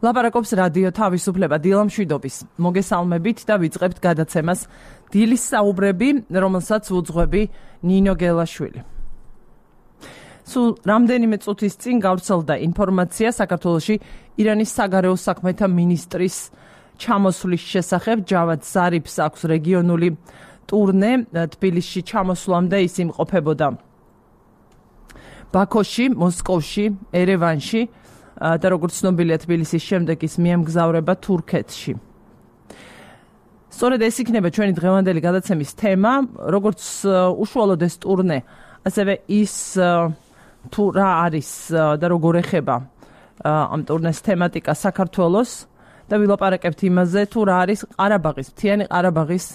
ლაპარაკობს რადიო თავისუფლება დილამშვიდობის. მოგესალმებით და ვიწყებთ გადაცემას დილის საუბრები, რომელსაც უძღვები ნინო გელაშვილი. სულ რამდენიმე წუთის წინ გავრცელდა ინფორმაცია საქართველოში ირანის საგარეო საქმეთა მინისტრის ჩამოსვლის შესახებ. ჯავად ზარიფს აქვს რეგიონული ტურნე. თბილისში ჩამოსვლამდე ის იმყოფებოდა ბაქოში, მოსკოვში, ერევანში და როგორც ცნობილია თბილისის შემდეგ ის მიემგზავრება თურქეთში. სწორედ ეს იქნება ჩვენი დღევანდელი გადაცემის თემა, როგორც უშუალოდ ეს ტურნე, ასევე ის თუ რა არის და როგორ ეხება ამ ტურნეს თემატიკა საქართველოს და ვილაპარაკებთ იმაზე, თუ რა არის ყარაბაღის, მთიანი ყარაბაღის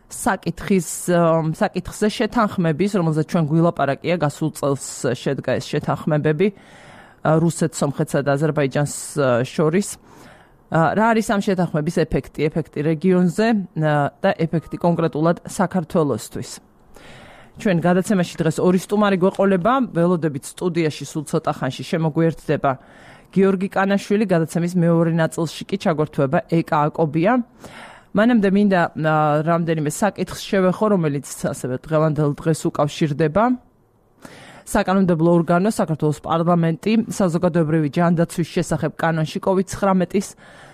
საკითხზე შეთანხმების, რომელზეც ჩვენ გვილაპარაკია, გასულ წელს შედგა ეს შეთანხმებები რუსეთს, სომხეთსა და აზერბაიჯანს შორის. რა არის ამ შეთანხმების ეფექტი რეგიონზე და ეფექტი კონკრეტულად საქართველოსთვის. ჩვენ გადაცემაში დღეს ორი სტუმარი გვეყოლება, ველოდებით სტუდიაში სულ ცოტა ხანში შემოგვიერთდება გიორგი კანაშვილი, გადაცემის მეორე ნაწილში კი ჩაგვერთვება ეკა აკობია. მანამდე მინდა რამდენიმე საკითხს შევეხო, რომელიც ასევე დღევანდელ დღეს უკავშირდება. საკანონმდებლო ორგანო, საქართველოს პარლამენტი, საზოგადოებრივი ჯანდაცვის შესახებ კანონში COVID-19-ის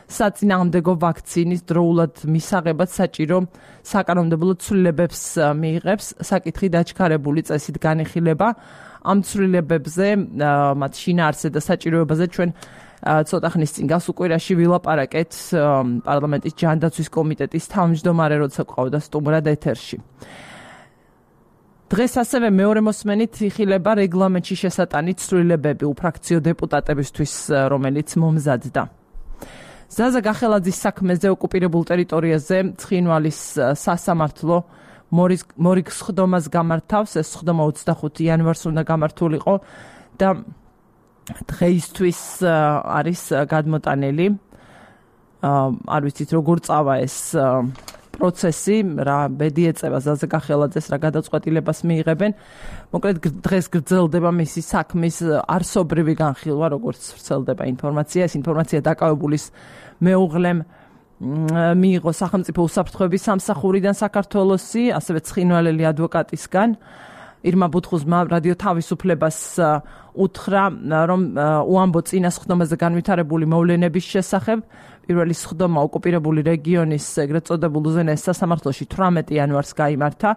საწინააღმდეგო ვაქცინის დროულად მისაღებად საჭირო საკანონმდებლო ცვლილებებს მიიღებს. საკითხი დაჩქარებული წესით განიხილება. ამ ცვლილებებზე, მათ შინაარსზე და საჭიროებაზე ჩვენ ცოტა ხნის წინ გასულ კვირაში ვილაპარაკეთ პარლამენტის ჯანდაცვის კომიტეტის თავმჯდომარე, როცა გვყავდა სტუმრად ეთერში. დღეს ასევე მეორე მოსმენით იხილება რეგლამენტში შესატანი ცვლილებები უფრაქციო დეპუტატებისთვის, რომელიც მომზადდა. ზაზა გახელაძის საქმეზე ოკუპირებულ ტერიტორიაზე ცხინვალის სასამართლო მორიგ სხდომას გამართავს. ეს სხდომა 25 იანვარს უნდა გამართულიყო და დღეისთვის არის გადმოტანილი. არ ვიცით როგორ წავა ეს პროცესი, რა ბედი ეწევა ზაზა გახელაძეს, რა გადაწყვეტილებას მიიღებენ. მოკლედ დღეს გრძელდება მისი საქმის არსობრივი განხილვა, როგორც ვრცელდება ინფორმაცია. ეს ინფორმაცია დაკავებულის მეუღლემ მიიღო სახელმწიფო უსაფრთხოების სამსახურიდან საქართველოსი, ასევე ცხინვალელი ადვოკატისგან. ირმა ბუთხუზმა რადიო თავისუფლებას უთხრა, რომ უამბო წინა სხდომაზე განვითარებული მოვლენების შესახებ. პირველი სხდომა ოკუპირებული რეგიონის ეგრეთ წოდებულ უზენაეს სასამართლოში 18 იანვარს გაიმართა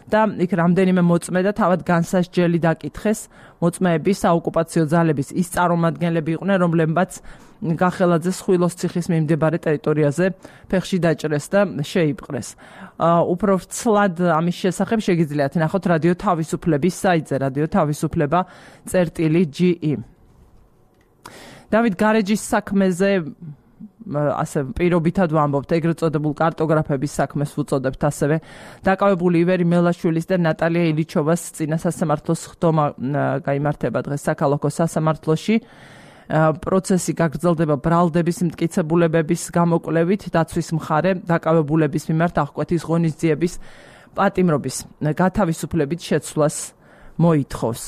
და იქ რამდენიმე მოწმე და თავად განსასჯელი დაკითხეს. მოწმეები საოკუპაციო ძალების ის წარმომადგენლები იყვნენ, რომლებმაც გახელაძეს ხვილოს ციხის მიმდებარე ტერიტორიაზე ფეხში დაჭრეს და შეიპყრეს. უფრო ვრცლად ამის შესახებ შეგიძლიათ ნახოთ რადიო თავისუფლების საიტზე, რადიო თავისუფლება.ge. დავით გარეჯის საქმეზე ასე პირობითად ვამბობთ, ეგრეთ წოდებულ კარტოგრაფების საქმეს ვუწოდებთ ასევე. დაკავებული ივერი მელაშვილის და ნატალია ილიჩოვას წინა სასამართლოს სხდომა გაიმართება დღეს საქალაქო სასამართლოში. პროცესი გაგრძელდება ბრალდების მტკიცებულებების გამოკვლევით. დაცვის მხარე დაკავებულების მიმართ აღკვეთის ღონისძიების პატიმრობის გათავისუფლებით შეცვლას მოითხოვს.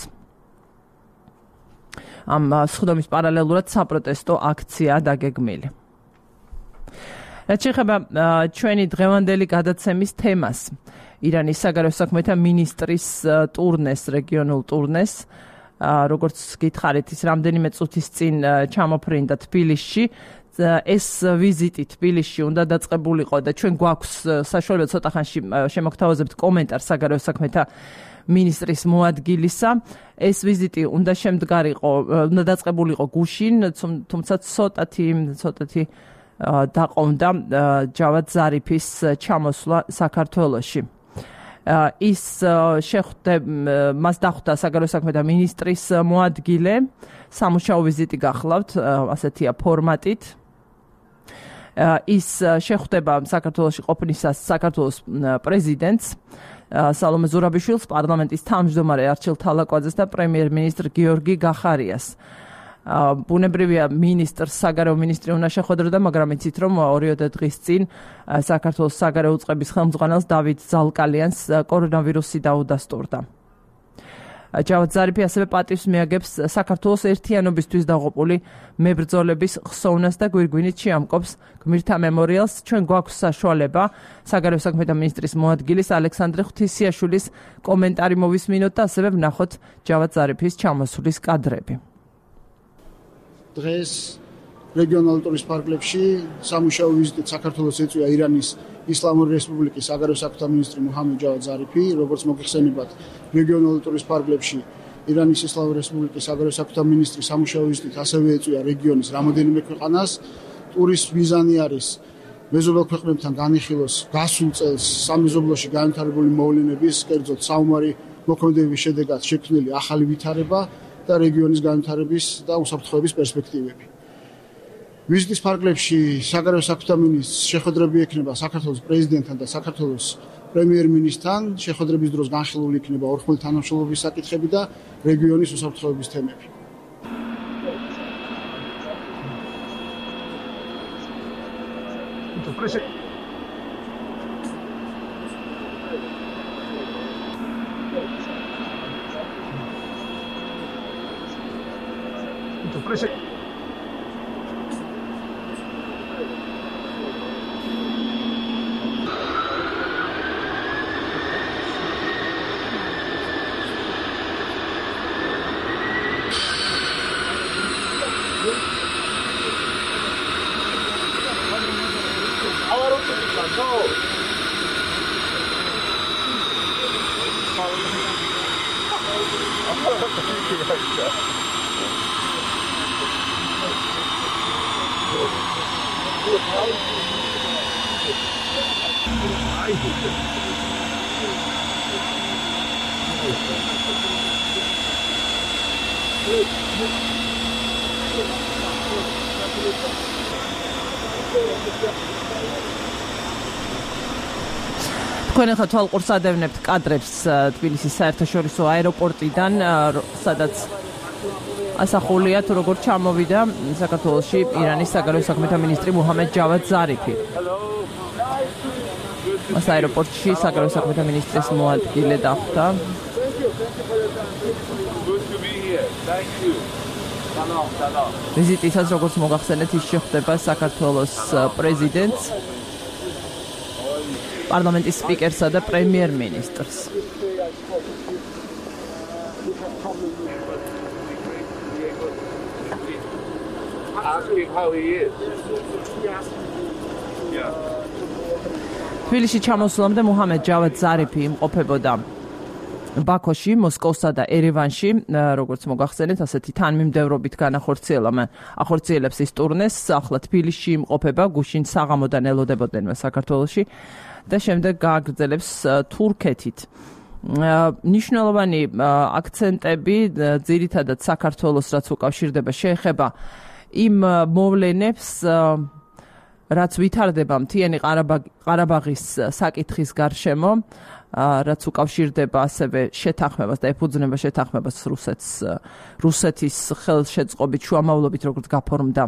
ამ სხდომის პარალელურად საპროტესტო აქცია დაგეგმილი. რაც შეეხება ჩვენი დღევანდელი გადაცემის თემას, ირანის საგარეო საქმეთა მინისტრის ტურნეს, რეგიონულ ტურნეს, როგორც გითხარით, ის რამდენიმე წუთის წინ ჩამოფრინდა თბილისში. ეს ვიზიტი თბილისში უნდა დაწყებულიყო და ჩვენ გვაქვს საშუალება ცოტა ხანში შემოგთავაზებთ კომენტარს საგარეო საქმეთა მინისტრის მოადგილისა. ეს ვიზიტი უნდა უნდა დაწყებულიყო გუშინ, თუმცა ცოტათი დაყოვნდა ჯავად ზარიფის ჩამოსვლა საქართველოში. მას დახვდა საგარეო საქმეთა მინისტრის მოადგილე, სამუშაო ვიზიტი გახლავთ, ასეთია ფორმატით. ის შეხვდება საქართველოში ყოფნისას საქართველოს პრეზიდენტს სალომე ზურაბიშვილს, პარლამენტის თავმჯდომარე არჩილ თალაკვაძეს და პრემიერ-მინისტრ გიორგი გახარიას. ბუნებრივია მინისტრს საგარეო მინისტრი უნდა შეხვედროდა, მაგრამ იცით რომ 2 დღის წინ საქართველოს საგარეო უწყების ხელმძღვანელს დავით ზალკალიანს კორონავირუსი დაუდასტურდა. ჯავად ზარიფი ასევე პატივს მიაგებს საქართველოს ერთიანობისთვის დაღუპული მებრძოლების ხსოვნას და გვირგვინით შეამკობს გმირთა მემორიალს. ჩვენ გვაქვს საშუალება საგარეო საქმეთა მინისტრის მოადგილის ალექსანდრე ღვთისიაშვილის კომენტარი მოვისმინოთ და ასევე ვნახოთ ჯავად ზარიფის ჩამოსვლის კადრები. დღეს რეგიონალურ ტურისტ პარკებში სამუშაო ვიზიტით საქართველოს ეწვია ირანის ისლამური რესპუბლიკის საგარეო საქმეთა მინისტრი მუჰამედ ჯავად ზარიფი, როგორც მოგეხსენებათ, რეგიონალურ ტურისტ პარკებში ირანის ისლამური რესპუბლიკის საგარეო საქმეთა მინისტრი სამუშაო ვიზიტით ასევე ეწვია რეგიონის რამოდენიმე ქვეყანას. ტურის მიზანი არის მეზობელ ქვეყნებთან განიხილოს გასულ წელს სამეზობლოში განვითარებული მოვლენების, კერძოდ საომარი მოქმედების შედეგად შექმნილი ახალი ვითარება და რეგიონის განვითარების და უსაფრთხოების პერსპექტივები. ვიზიტის ფარგლებში საგარეო საქმეთა მინისტრს შეხვედრები ექნება საქართველოს პრეზიდენტთან და საქართველოს პრემიერ-მინისტრთან. შეხვედრების დროს განხილული იქნება ორმხრივი თანამშრომლობის საკითხები და რეგიონის უსაფრთხოების თემები. თქვენ ახლა თვალყურს ადევნებთ კადრებს თბილისის საერთაშორისო აეროპორტიდან, სადაც ასახულია თუ როგორ ჩამოვიდა საქართველოში ირანის საგარეო საქმეთა მინისტრი მუჰამედ ჯავად ზარიფი. მას აეროპორტში საგარეო საქმეთა მინისტრის მოადგილე დახვდა. ვიზიტისას, როგორც მოგახსენეთ, ის შეხვდება საქართველოს პრეზიდენტს, პარლამენტის სპიკერსა და პრემიერ-მინისტრს. თბილისში ჩამოსვლამდე მუჰამედ ჯავად ზარიფი იმყოფებოდა ბაქოში, მოსკოვსა და ერევანში, როგორც მოგახსენეთ, ასეთი თანმიმდევრობით ახორციელებს ის ტურნეს. ახლა თბილისში იმყოფება, გუშინ საღამოდან ელოდებოდნენ საქართველოში და შემდეგ გააგრძელებს თურქეთით. ნიშნულოვანი აქცენტები ძირითადად საქართველოს რაც უკავშირდება შეეხება იმ მოვლენებს, რაც ვითარდება მთიანი ყარაბაღის საკითხის გარშემო, რაც უკავშირდება ასევე შეთანხმებას და ეფუძნება შეთანხმებას რუსეთის ხელშეწყობით შუამავლობით, როგორც გაფორმდა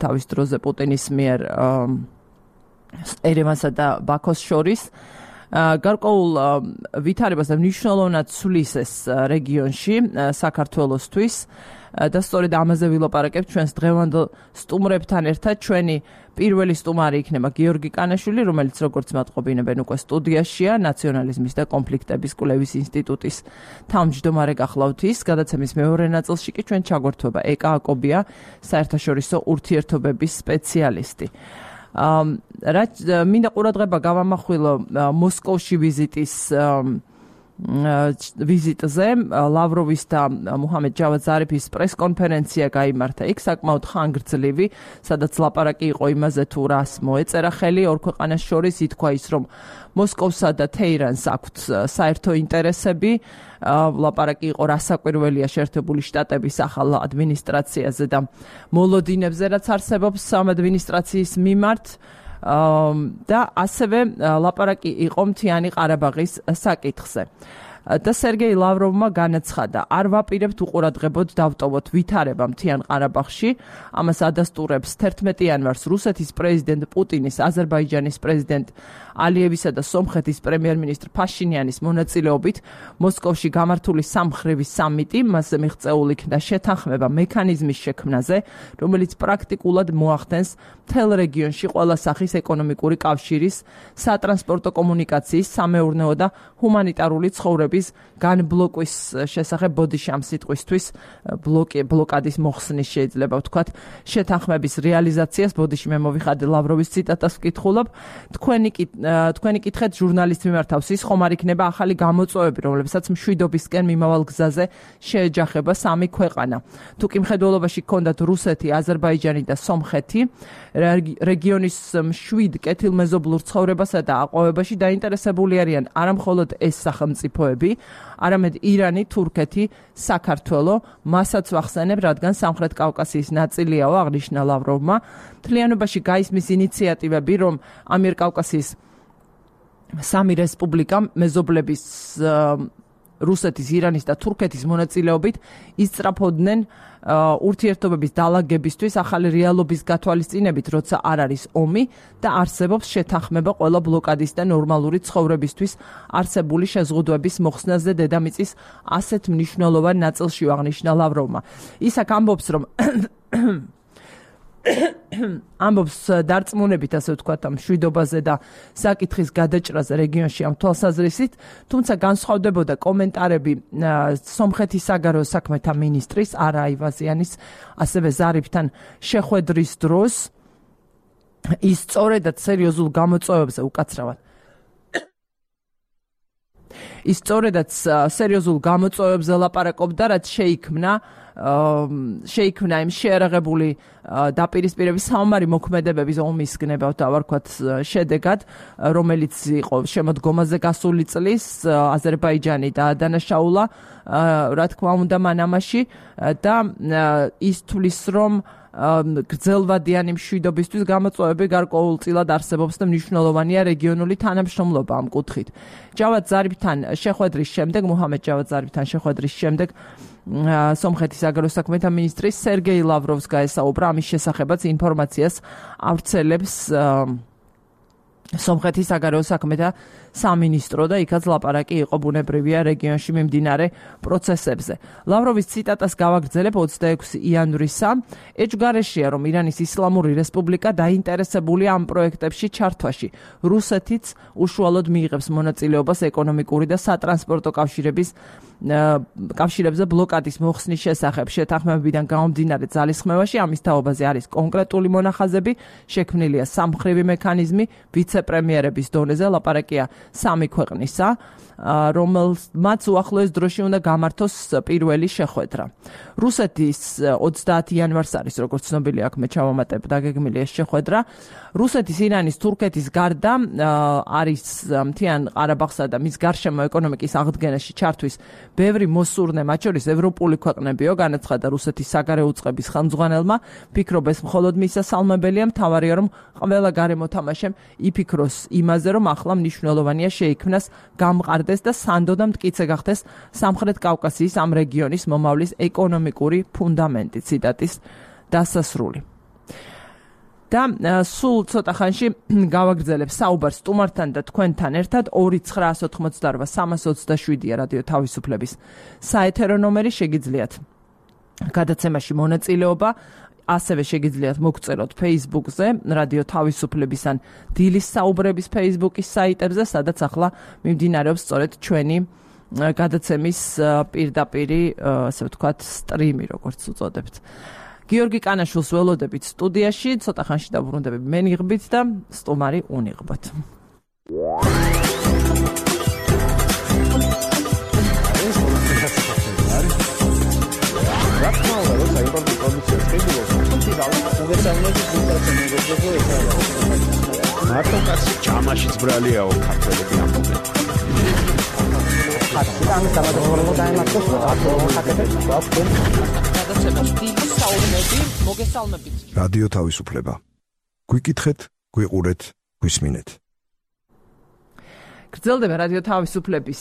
თავის დროზე პუტინის მიერ ერევანსა და ბაქოს შორის. გარკვეულ ვითარებას და მნიშვნელოვნად ცვლის ეს რეგიონში საქართველოსთვის და სწორედ ამაზე ვილაპარაკებ ჩვენს დღევანდელ სტუმრებთან ერთად. ჩვენი პირველი სტუმარი იქნება გიორგი კანაშვილი, რომელიც როგორც მათყობინებენ უკვე სტუდიაშია, ნაციონალიზმის და კონფლიქტების კვლევის ინსტიტუტის თავმჯდომარე გახლავთ ის. გადაცემის მეორე ნაწილში კი ჩვენ ჩაგვერთვება ეკა აკობია, საერთაშორისო ურთიერთობების სპეციალისტი. მინდა ყურადღება გავამახვილო მოსკოვში ვიზიტზე. ლავროვის და მუჰამედ ჯავად ზარიფის პრესკონფერენცია გაიმართა იქ, საკმაოდ ხანგრძლივი, სადაც ლაპარაკი იყო იმაზე თუ რას მოეწერა ხელი ორ ქვეყანას შორის. ითქვა ის, რომ მოსკოვსა და თეირანს აქვთ საერთო ინტერესები. ლაპარაკი იყო რასაკვირველია შეერთებული შტატების ახალ ადმინისტრაციაზე და მოლოდინებზე, რაც არსებობს ამ ადმინისტრაციის მიმართ. და ასევე ლაპარაკი იყო მთიანი ყარაბაღის საკითხზე. და სერგეი ლავროვმა განაცხადა, არ ვაპირებთ უყურადღებოდ დავტოვოთ ვითარება მთიან ყარაბაღში. ამას ადასტურებს 11 იანვარს რუსეთის პრეზიდენტ პუტინის, აზერბაიჯანის პრეზიდენტ ალიევისა და სომხეთის პრემიერ-მინისტრ ფაშინიანის მონაწილეობით მოსკოვში გამართული სამმხრივი სამიტი. მასზე მიღწეული იქნა შეთანხმება მექანიზმის შექმნაზე, რომელიც პრაქტიკულად მოახდენს მთელ რეგიონში ყველა სახის ეკონომიკური კავშირის, სატრანსპორტო კომუნიკაციის, სამეურნეო და ჰუმანიტარული ცხოვრების განბლოკვის შესახებ ბოდიში ამ სიტყვისთვის ბლოკადის მოხსნის შეიძლება ვთქვათ შეთანხმების რეალიზაციას. ბოდიში მე მოვიხადე ლავროვის ციტატას ვკითხულობ. თქვენი კითხეთ ჟურნალისტ მიმართავს ის ხომ არ იქნება ახალი გამოწვევები, რომლებსაც მშვიდობისკენ მიმავალ გზაზე შეეჯახება სამი ქვეყანა. თუ კი მხედველობაში გქონდათ რუსეთი, აზერბაიჯანი და სომხეთი, რეგიონის მშვიდ კეთილმეზობლურ ცხოვრებასა და აყვავებაში დაინტერესებული არიან არა მხოლოდ ეს სახელმწიფოები, არამედ ირანი, თურქეთი, საქართველო, მასაც ვახსენებ, რადგან სამხრეთ კავკასიის ნაწილიაო, აღნიშნა ლავროვმა. მთლიანობაში გაისმის ინიციატივები, რომ ამიერკავკასიის სამი რესპუბლიკა მეზობლების რუსეთის, ირანის და თურქეთის მონაწილეობით ისწრაფოდნენ ურთიერთობების დალაგებისთვის ახალი რეალობის გათვალისწინებით, როცა არ არის ომი და არსებობს შეთანხმება ყველა ბლოკადის და ნორმალური ცხოვრებისთვის არსებული შეზღუდვების მოხსნაზე დედამიწის ასეთ მნიშვნელოვან ნაწილში, აღნიშნა ლავროვმა. ის აქ ამბობს, რომ ამბობს დარწმუნებით, ასე ვთქვათ, ამ მშვიდობაზე და საკითხის გადაჭრაზე რეგიონში ამ თვალსაზრისით, თუმცა განსხვავდებოდა კომენტარები სომხეთის საგარეო საქმეთა მინისტრის არა აივაზიანის, ასევე ზარიფთან შეხვედრის დროს. ის სწორედად სერიოზულ გამოწვევებზე უკაცრავად ის სწორედად სერიოზულ გამოწვევებზე ლაპარაკობდა, რაც შეიქმნა იმ შეერაღებული დაპირისპირების საომარი მოქმედებების ომის გნებავთ ავარქვათ შედეგად, რომელიც იყო შემოდგომაზე გასული წლის აზერბაიჯანი დაადანაშაულა, რა თქმა უნდა, მანამაში და ის თulis რომ გრძელვადიანი მშვიდობისთვის გამოწვევები გარკვეულწილად არსებობს და მნიშვნელოვანია რეგიონული თანამშრომლობა ამ კუთხით. ჯავად ზარიფთან შეხვედრის შემდეგ, მუჰამედ ჯავად ზარიფთან შეხვედრის შემდეგ სომხეთის საგარეო საქმეთა მინისტრი სერგეი ლავროვს გაესაუბრა ამის შესახებაც ინფორმაციას ავრცელებს სომხეთის საგარეო საქმეთა სამინისტრო და იქაც ლაპარაკი იყო ბუნებრივია რეგიონში მიმდინარე პროცესებზე. ლავროვის ციტატას გავაგრძელებ 26 იანვრისა. ეჭვგარეშეა, რომ ირანის ისლამური რესპუბლიკა დაინტერესებულია ამ პროექტებში ჩართვაში. რუსეთიც უშუალოდ მიიღებს მონაწილეობას ეკონომიკური და სატრანსპორტო კავშირებზე ბლოკადის მოხსნის შესახებ. შეთანხმებებიდან გამომდინარე ძალისხმევაში ამის თაობაზე არის კონკრეტული მონახაზები, შექმნილია სამმხრივი მექანიზმი ვიცე-პრემიერების დონეზე, ლაპარაკია სამი ქვეყნისა, რომელმაც უახლოეს დროში უნდა გამართოს პირველი შეხვედრა. რუსეთის 30 იანვარს არის, როგორც ცნობილია, აქ მე ჩავამატებ დაგეგმილი ეს შეხვედრა. რუსეთის, ირანის, თურქეთის გარდა არის მთიან ყარაბაღსა და მის გარშემო ეკონომიკის აღდგენაში ჩართვის ბევრი მოსურნე, მათ შორის ევროპული ქვეყნებიო, განაცხადა რუსეთის საგარეო უწყების ხელმძღვანელმა. ფიქრობ, ეს მხოლოდ მისასალმებელია, მთავარია, რომ ყველა გარემოთამაშემ იფიქროს იმაზე, რომ ახლა მნიშვნელოვანია შეიქმნას, გამყარდეს და სანდო და მტკიცე გახდეს სამხრეთ კავკასიის ამ რეგიონის მომავლის ეკონომიკური ფუნდამენტი. ციტატის დასასრული. და სულ ცოტა ხანში გავაგრძელებ საუბარს სტუმართან და თქვენთან ერთად 2988327-ია რადიო თავისუფლების საეთერო ნომერი, შეგიძლიათ გადაცემაში მონაწილეობა, ასევე შეგიძლიათ მოგწეროთ Facebook-ზე, რადიო თავისუფლების ან დილის საუბრების Facebook-ის საიტებზე, სადაც ახლა მიმდინარეობს სწორედ ჩვენი გადაცემის პირდაპირი, ასე ვთქვათ, სტრიმი, როგორც უწოდებთ. გიორგი კანაშვილს ველოდებით სტუდიაში, ცოტა ხანში დაბრუნდები მე ნიღბით და სტუმარი უნიღბოთ. მარტო კაცი ჯამაშიც ბრალიაო ქართველები ამბობენ. რადიო თავისუფლება. გვიკითხეთ, გვიყურეთ, გვისმინეთ. გრძელდება რადიო თავისუფლების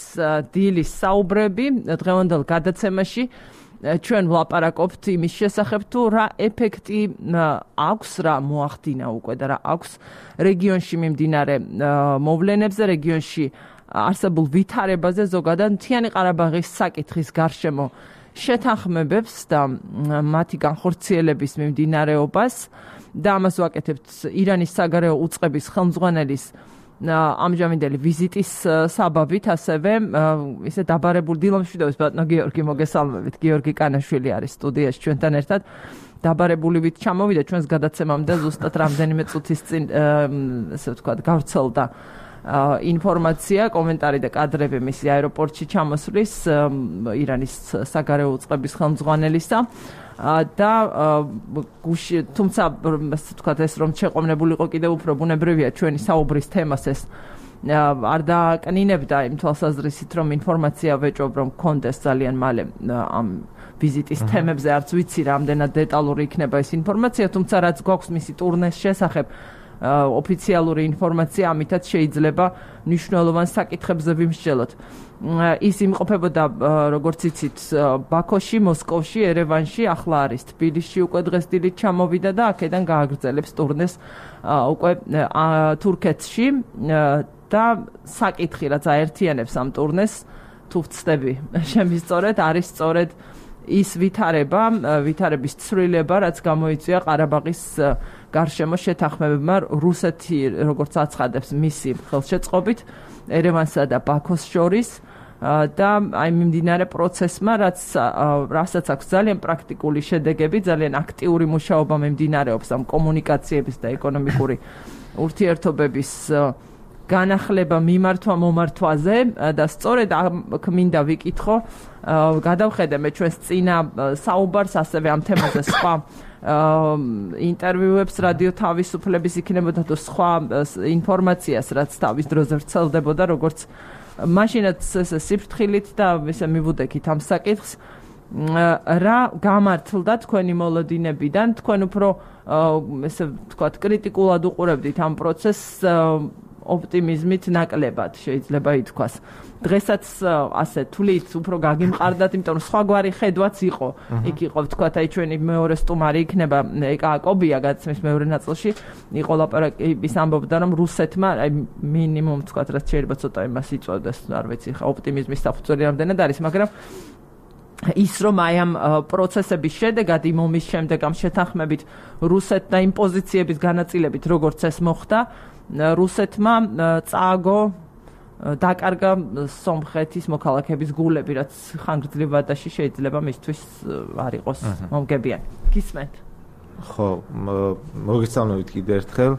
დილის საუბრები დღევანდელ გადაცემაში ჩვენ ვლაპარაკობთ იმის შესახებ თუ რა ეფექტი აქვს რა მოახდინა უკვე და რა აქვს რეგიონში მიმდინარე მოვლენებზე რეგიონში არსებულ ვითარებაზე ზოგადად მთიანი ყარაბაღის საკითხის გარშემო შეთანხმებებს და მათი განხორციელების მიმდინარეობას და ამას ვაკეთებთ ირანის საგარეო უწყების ხელმძღვანელის ამჟამინდელი ვიზიტის საბაბით, ასევე ისე დაბარებული დილამშვიდობის ბატონო გიორგი მოგესალმებით. გიორგი კანაშვილი არის სტუდიაში ჩვენთან ერთად. დაბაrebulივით ჩამოვიდა ჩვენს გადაცემამდე ზუსტად რამდენიმე წუთის წინ, ესე ვთქვათ, გავრცელდა ინფორმაცია, კომენტარი და კადრები მისი აეროპორტში ჩამოსვლის ირანის საგარეო უწყების ხელმძღვანელისა. და თუმცა ვთქვათ ეს რომ შეყოვნებულიყო კიდევ უფრო ბუნებრივია ჩვენი საუბრის თემას ეს არ დააკნინებდა იმ თვალსაზრისით რომ ინფორმაცია ვეჭობ რომ გქონდეს ძალიან მალე ამ ვიზიტის თემებზე არც ვიცი რამდენად დეტალური იქნება ეს ინფორმაცია თუმცა რაც გვაქვს მისი ტურნეს შესახებ ოფიციალური ინფორმაცია ამითაც შეიძლება მნიშვნელოვან საკითხებზე ვიმსჯელოთ ის იმყოფებოდა როგორც იცით ბაქოში, მოსკოვში, ერევანში, ახლა არის თბილისში უკვე დღეს დილით ჩამოვიდა და აქედან გააგრძელებს ტურნეს უკვე თურქეთში და საკითხი რაც აერთიანებს ამ ტურნეს თუ ვწდები შემისწორეთ არის სწორედ ის ვითარების ცვლილება რაც გამოიწვია ყარაბაღის გარშემო შეთანხმებებმა რუსეთი როგორც აცხადებს მისი ხელშეწყობით ერევანსა და ბაქოს შორის და აი მიმდინარე პროცესმა რასაც აქვს ძალიან პრაქტიკული შედეგები, ძალიან აქტიური მუშაობა მიმდინარეობს ამ კომუნიკაციების და ეკონომიკური ურთიერთობების განახლება მიმართვა მომართვაზე და სწორედ მინდა ვიკითხო, გადავხედე მე ჩვენს წინა საუბარს, ასევე ამ თემაზე სხვა ინტერვიუებს რადიო თავისუფლების იქნებოდა თუ სხვა ინფორმაციას, რაც თავის დროზე ვრცელდებოდა, როგორც მაშინაც ესე სიფრთხილით და ესე მივუდექით ამ საკითხს რა გამართლდა თქვენი მოლოდინებიდან თქვენ უფრო ესე ვთქვათ კრიტიკულად უყურებდით ამ პროცესს ოპტიმიზმით ნაკლებად შეიძლება ითქვას დღესაც ასე თვლით უფრო გაგიმყარდათ იმიტომ რომ სხვაგვარი ხედვაც იყო იქ იყო ვთქვათ აი ჩვენი მეორე სტუმარი იქნება ეკა კობია გადაცემის მეორე ნაწილში იყო ლაპარაკი ის ამბობდა რომ რუსეთმა აი მინიმუმ ვთქვათ რაც შეიძლება ცოტა იმას იწვევდეს არ ვიცი ხა ოპტიმიზმის საფუძველი რამდენად არის მაგრამ ის რომ აი ამ პროცესების შედეგად იმ ომის შემდეგ ამ შეთანხმებით რუსეთთან იმ პოზიციების განაწილებით როგორც ეს მოხდა რუსეთმა წააგო დაკარგა სომხეთის მოქალაქეების გულები, რაც ხანგრძლივ ვადაში შეიძლება მისთვის არ იყოს მომგებიანი. გისმენთ? ხო, მოგესალმებით კიდევ ერთხელ.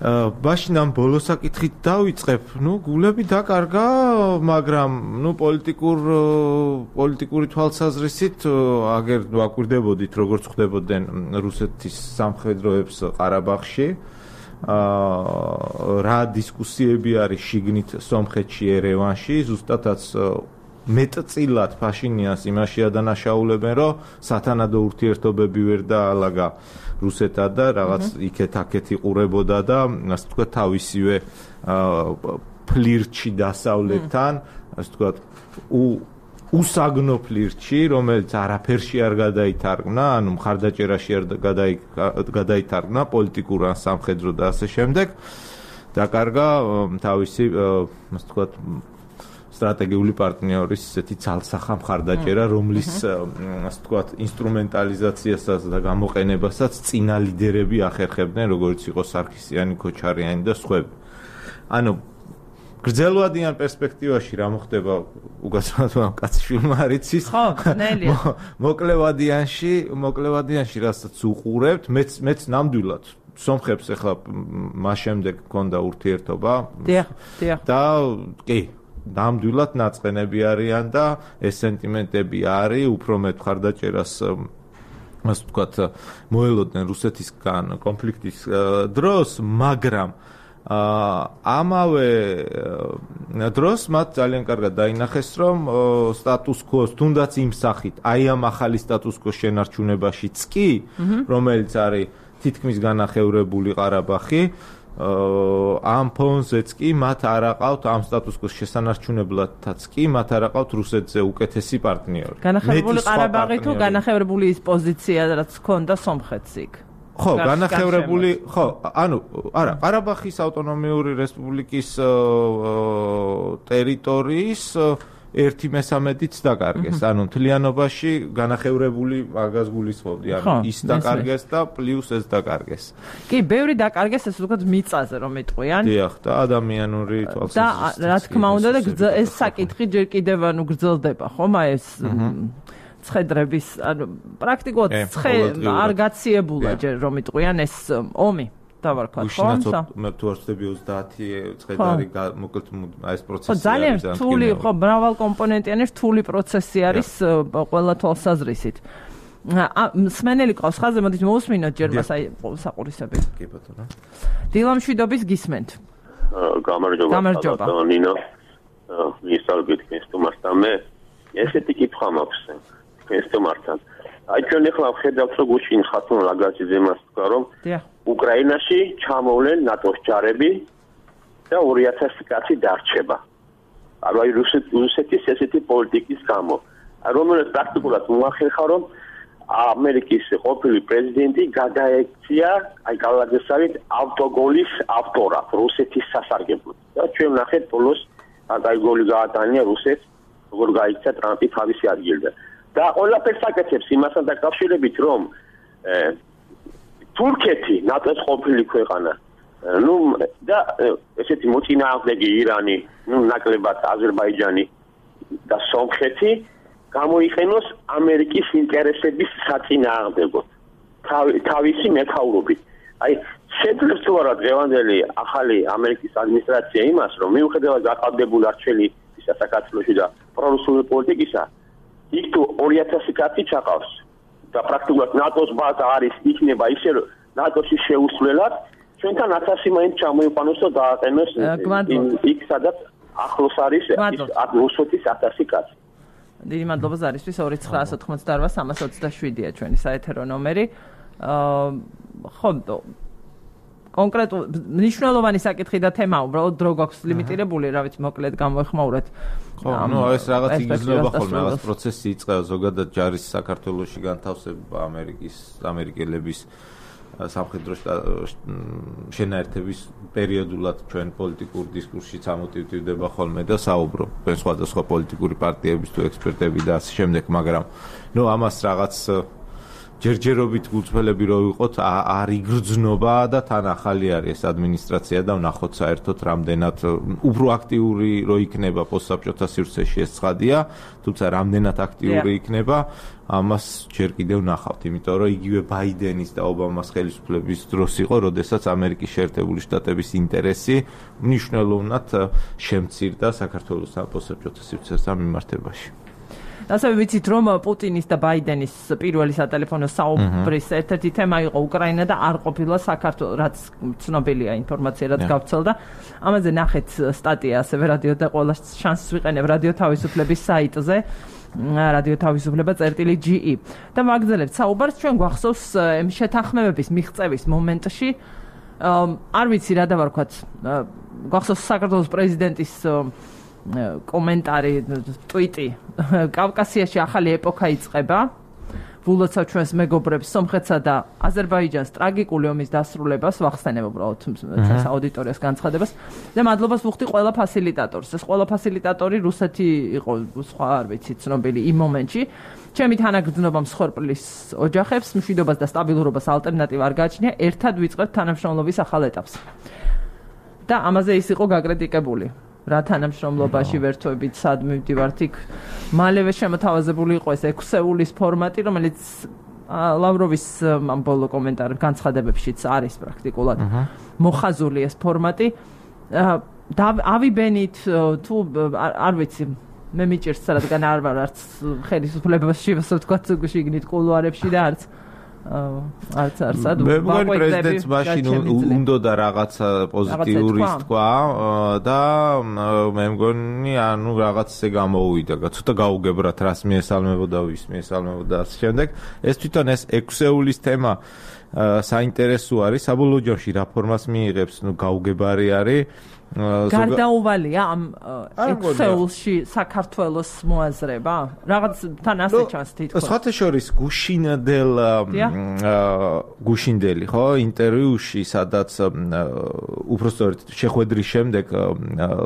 მაშინ ამ ბოლო საკითხით დავიწყებ. გულები დაკარგა, მაგრამ პოლიტიკური თვალსაზრისით აგერ ვაკვირდებოდით, როგორც ხდებოდნენ რუსეთის სამხედროებს ყარაბაღში. რა დისკუსიები არის შიგნით სომხეთში ერევანში ზუსტადაც მეტწილად ფაშინიანს იმაში ადანაშაულებენ რომ სათანადო ურთიერთობები ვერ დაალაგა რუსეთთან და რაღაც იქეთ-აქეთ იყურებოდა და ასე ვთქვათ თავისივე ფლირტში დასავლეთთან ასე ვთქვათ უსაგნო ფლირტში, რომელიც არაფერში არ გადაითარგმნა, ანუ მხარდაჭერაში არ გადაითარგმნა პოლიტიკურ ან სამხედრო და ასე შემდეგ. დაკარგა თავისი, ასე ვთქვათ, სტრატეგიული პარტნიორის ესეთი ცალსახა მხარდაჭერა, რომლის ასე ვთქვათ, ინსტრუმენტალიზაციასაც და გამოყენებასაც წინა ლიდერები ახერხებდნენ, როგორც იყო სარქისიანი, ქოჩარიანი და სხვები. ანუ გრძელვადიან პერსპექტივაში რა მოხდება უგაცრუებელმა კაცშვილმა არ იცის ხო ნელია მოკლევადიანში რასაც უყურებთ მეც ნამდვილად სომხებს ახლა მას შემდეგ მქონდა ურთიერთობა და კი ნამდვილად ნაწყენები არიან და ეს სენტიმენტები არის უფრო მეტ მხარდაჭერას ასე ვთქვათ მოელოდნენ რუსეთისგან კონფლიქტის დროს მაგრამ ამავე დროს მათ ძალიან კარგად დაინახეს რომ სტატუს კოს თუნდაც იმ სახით აი ამ ახალი სტატუს კოს შენარჩუნებაშიც კი რომელიც არის თითქმის განახევრებული ყარაბაღი ამ ფონზეც კი მათ არ აყავთ ამ სტატუს-კვოს შესანარჩუნებლადაც კი მათ არ აყავთ რუსეთზე უკეთესი პარტნიორი. განახევრებული ყარაბაღი თუ განახევრებული ის პოზიცია რაც ჰქონდა სომხეთს იქ. ხო, განახევრებული, ხო, ანუ არა, ყარაბაღის ავტონომიური რესპუბლიკის ტერიტორიის 1/13-იც დაკარგეს. ანუ მთლიანობაში განახევრებული მაგას გულისხმობდი. ანუ ის დაკარგეს და პლუს ეს დაკარგეს. კი, ბევრი დაკარგეს, ეს ვთქვათ მიწაზე რომ იტყვიან. დიახ, და ადამიანური თვალსაზრისით. და რა თქმა უნდა და ეს საკითხი ჯერ კიდევ ანუ გრძელდება, ხომ? ეს ცხედრების, ანუ პრაქტიკულად არ გაციებულა ჯერ რომ იტყვიან ეს ომი. დავარქვათ, ხო? მე თუ არ ვწდები 30 ცხედარი მოკლედ აი ეს პროცესი არის. ძალიან რთული, ხო, მრავალკომპონენტიანი რთული პროცესი არის ყველა თვალსაზრისით. მსმენელი ყავს ხაზზე, მოდით მოусმინოთ ჯერ მას აი საყურისები. კი ბატონო. დილამშვიდობის გისმენთ. გამარჯობა. ნინო. მისალგეთ ქრისტუმართან მე ესეთი კითხვა მაქვს ქრისტუმართან. აი ჩვენ ახლა ვხედავთ რომ გუშინ ხათუნ ლაგაძეზე მას თქვა რომ უკრაინაში ჩამოვლენ ნატოს ჯარები და 2000 კაცი დარჩება. აი რუსეთის ესეთი პოლიტიკის გამო. რომელიც პრაქტიკულად მოახერხა რომ ამერიკის ყოფილი პრეზიდენტი გადაექცია აი კალადესავით ავტოგოლის ავტორად რუსეთის სასარგებლოდ. და ჩვენ ნახეთ ბოლოს აი გოლი გაატანია რუსეთს როგორ გაიქცა ტრამპი თავისი ადგილიდან. და ყველაფერს აკეთებს იმასთან დაკავშირებით რომ თურქეთი ნატოს ყოფილი ქვეყანა ნუ და ესეთი მოწინააღმდეგე ირანი ნუ ნაკლებად აზერბაიჯანი და სომხეთი გამოიყენოს ამერიკის ინტერესების საწინააღმდეგოდ თავისი მეთაურობით. აი შეძლებს თუ არა დღევანდელი ახალი ამერიკის ადმინისტრაცია იმას რომ მიუხედავად გაყალბებული არჩეული საქართველოში და პრორუსული პოლიტიკისა იქ თუ 2000 კაცი ჩაყავს და პრაქტიკულად ნატოს ბაზა არის იქნება ისე რომ ნატოში შეუსვლელად ჩვენთან 1000 მაინც ჩამოიყვანოს და დააყენოს იქ სადაც ახლოს არის რუსეთის 1000 კაცი. დიდი მადლობა ზარისთვის 2988327-ია ჩვენი საეთერო ნომერი. ხო კონკრეტულ მნიშვნელოვანი საკითხი და თემა უბრალოდ დრო გვაქვს ლიმიტირებული, რა ვიცი, მოკლედ გამოეხმაურეთ. ხო, ნუ ეს რაღაც იგრძნობა ხოლმე, რაღაც პროცესი იწყება ზოგადად ჯარის საქართველოში განთავსება ამერიკელების სამხედრო შენაერთების პერიოდულად ჩვენ პოლიტიკურ დისკურსში წამოტივდება ხოლმე და საუბრობ სხვადასხვა პოლიტიკური პარტიების თუ ექსპერტები და ასე შემდეგ, მაგრამ ნუ ამას რაღაც ჯერჯერობით გულწრფელები რო ვიყოთ არ იგრძნობა და თან ახალი არის ეს ადმინისტრაცია და ვნახოთ საერთოდ რამდენად უფრო აქტიური რო იქნება პოსტსაბჭოთა სივრცეში ეს ცხადია, თუმცა რამდენად აქტიური იქნება ამას ჯერ კიდევ ვნახავთ, იმიტომ რომ იგივე ბაიდენის და ობამას ხელისუფლების დროს იყო, როდესაც ამერიკის შეერთებული შტატების ინტერესი მნიშვნელოვნად შემცირდა საქართველოს პოსტსაბჭოთა სივრცესთან მიმართებაში. ასევე ვიცით რომ პუტინის და ბაიდენის პირველი სატელეფონო საუბრის ერთ-ერთი თემა იყო უკრაინა და არ ყოფილა საქართველოს, რაც ცნობილია ინფორმაცია, რაც გავრცელდა. ამაზე ნახეთ სტატია ასევე რადიო და ყველა შანსს ვიყენებ რადიო თავისუფლების საიტზე radio-თავისუფლება.ge და მაგძელებთ საუბარს ჩვენ გვახსოვს შეთანხმებების მიღწევის მომენტში არ ვიცი რა დავარქვათ გვახსოვს საქართველოს პრეზიდენტის კომენტარი ტვიტი კავკასიაში ახალი ეპოქა იწყება ვულოცავ ჩვენს მეგობრებს სომხეთსა და აზერბაიჯანს ტრაგიკული ომის დასრულებას ვახსენებ უბრალოდ ჩვენს აუდიტორიას განცხადებას და მადლობას ვუხდი ყველა ფასილიტატორს ეს ყველა ფასილიტატორი რუსეთი იყო სხვა არ ვიცი ცნობილი იმ მომენტში ჩემი თანაგრძნობა მსხვერპლის ოჯახებს მშვიდობას და სტაბილურობას ალტერნატივა არ გააჩნია ერთად ვიწყებთ თანამშრომლობის ახალ ეტაპს და ამაზე ის იყო გაკრიტიკებული რა თანამშრომლობაში ვერთვებით სად მივდივართ იქ მალევე შემოთავაზებული იყო ეს 6 ეულის ფორმატი რომელიც ლავროვის ამ ბოლო კომენტარ განცხადებებშიც არის პრაქტიკულად მოხაზული ეს ფორმატი ავიბენით თუ არ ვიცი მე მიჭირს რადგან არ ვარ არც ხელისუფლებაში ვთქვათ შიგნით კულუარებში და არც მე მგონი პრეზიდენტს მაშინ უნდა და რაღაცა პოზიტიური თქვა და მე მგონი ანუ რაღაცზე გამოუვიდა ცოტა გაუგებრათ რას მიესალმებოდა ვის მიესალმებოდა ამ შემდეგ ეს თვითონ ეს 6 ეულის თემა საინტერესო არის საბოლოო ჯამში რა ფორმას მიიღებს, გაუგებარი არის. გარდაუვალია ამ ექსელში საქართველოს მოაზრება? რაღაც თან ასე ჩანს თითქოს. სხვათა შორის გუშინდელი, ხო, ინტერვიუში, სადაც უпростоრეთ შეხვედრის შემდეგ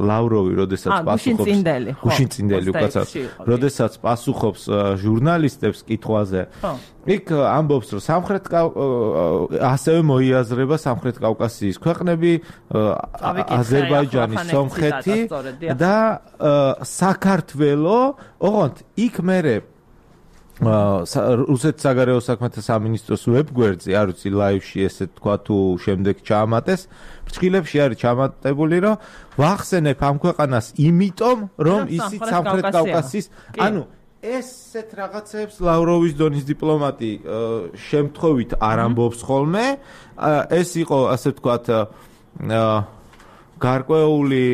ლავროვი, როდესაც პასუხობს გუშინწინდელი უკაცრავად, როდესაც პასუხობს ჟურნალისტებს კითხვაზე, იქ ამბობს, რომ ასევე მოიაზრება სამხრეთ კავკასიის ქვეყნები, აზერბაიჯანი, სომხეთი და საქართველო, ოღონდ იქ მერე რუსეთის საგარეო საქმეთა სამინისტროს ვებგვერდზე, არ ვიცი ლაივში ესე თქვა თუ შემდეგ ჩაამატეს, ფრჩხილებში არის ჩამატებული, რომ ვახსენებ ამ ქვეყანას იმიტომ, რომ ისიც სამხრეთ კავკასიის, ანუ ესეთ რაღაცებს ლავროვის დონის დიპლომატი შემთხვევით არ ამბობს ხოლმე, ეს იყო ასე ვთქვათ გარკვეული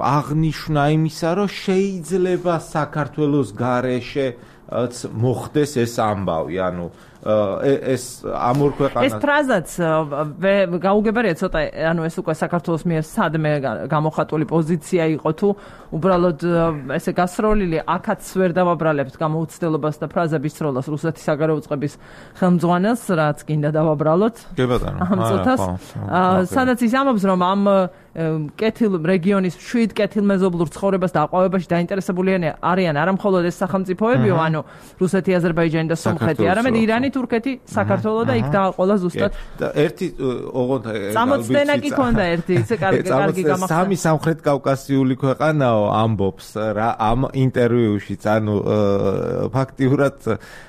აღნიშვნა იმისა, რომ შეიძლება საქართველოს გარეშე მოხდეს ეს ამბავი, ანუ ეს ამ ორ ქვეყანას ეს ფრაზაც გაუგებარია ცოტა, ანუ ეს უკვე საქართველოს მიერ სადმე გამოხატული პოზიცია იყო თუ უბრალოდ ესე გასროლილი აქაც ვერ დავაბრალებთ გამოუცდელობას და ფრაზების სროლას რუსეთის საგარეო წყების ხელმძღვანელს, რაც გინდა დავაბრალოთ. ამ წუთას სადაც ის ამბობს, რომ ამ კეთილ რეგიონის 7 კეთილმეზობლურ ცხოვრებას და აყვავებაში დაინტერესებული არიან არა მხოლოდ ეს სახელმწიფოებიო, ანუ რუსეთი, აზერბაიჯანი და სომხეთი, არამედ ირანი, თურქეთი, საქართველო და იქ დააყოლა ზუსტად. და ერთი ოღონდ წამოწდენა კი ქონდა ერთი, ისე კარგი გამახსენდა. სამი სამხრეთ კავკასიული ქვეყანაო ამბობს რა ამ ინტერვიუშიც, ანუ ფაქტიურად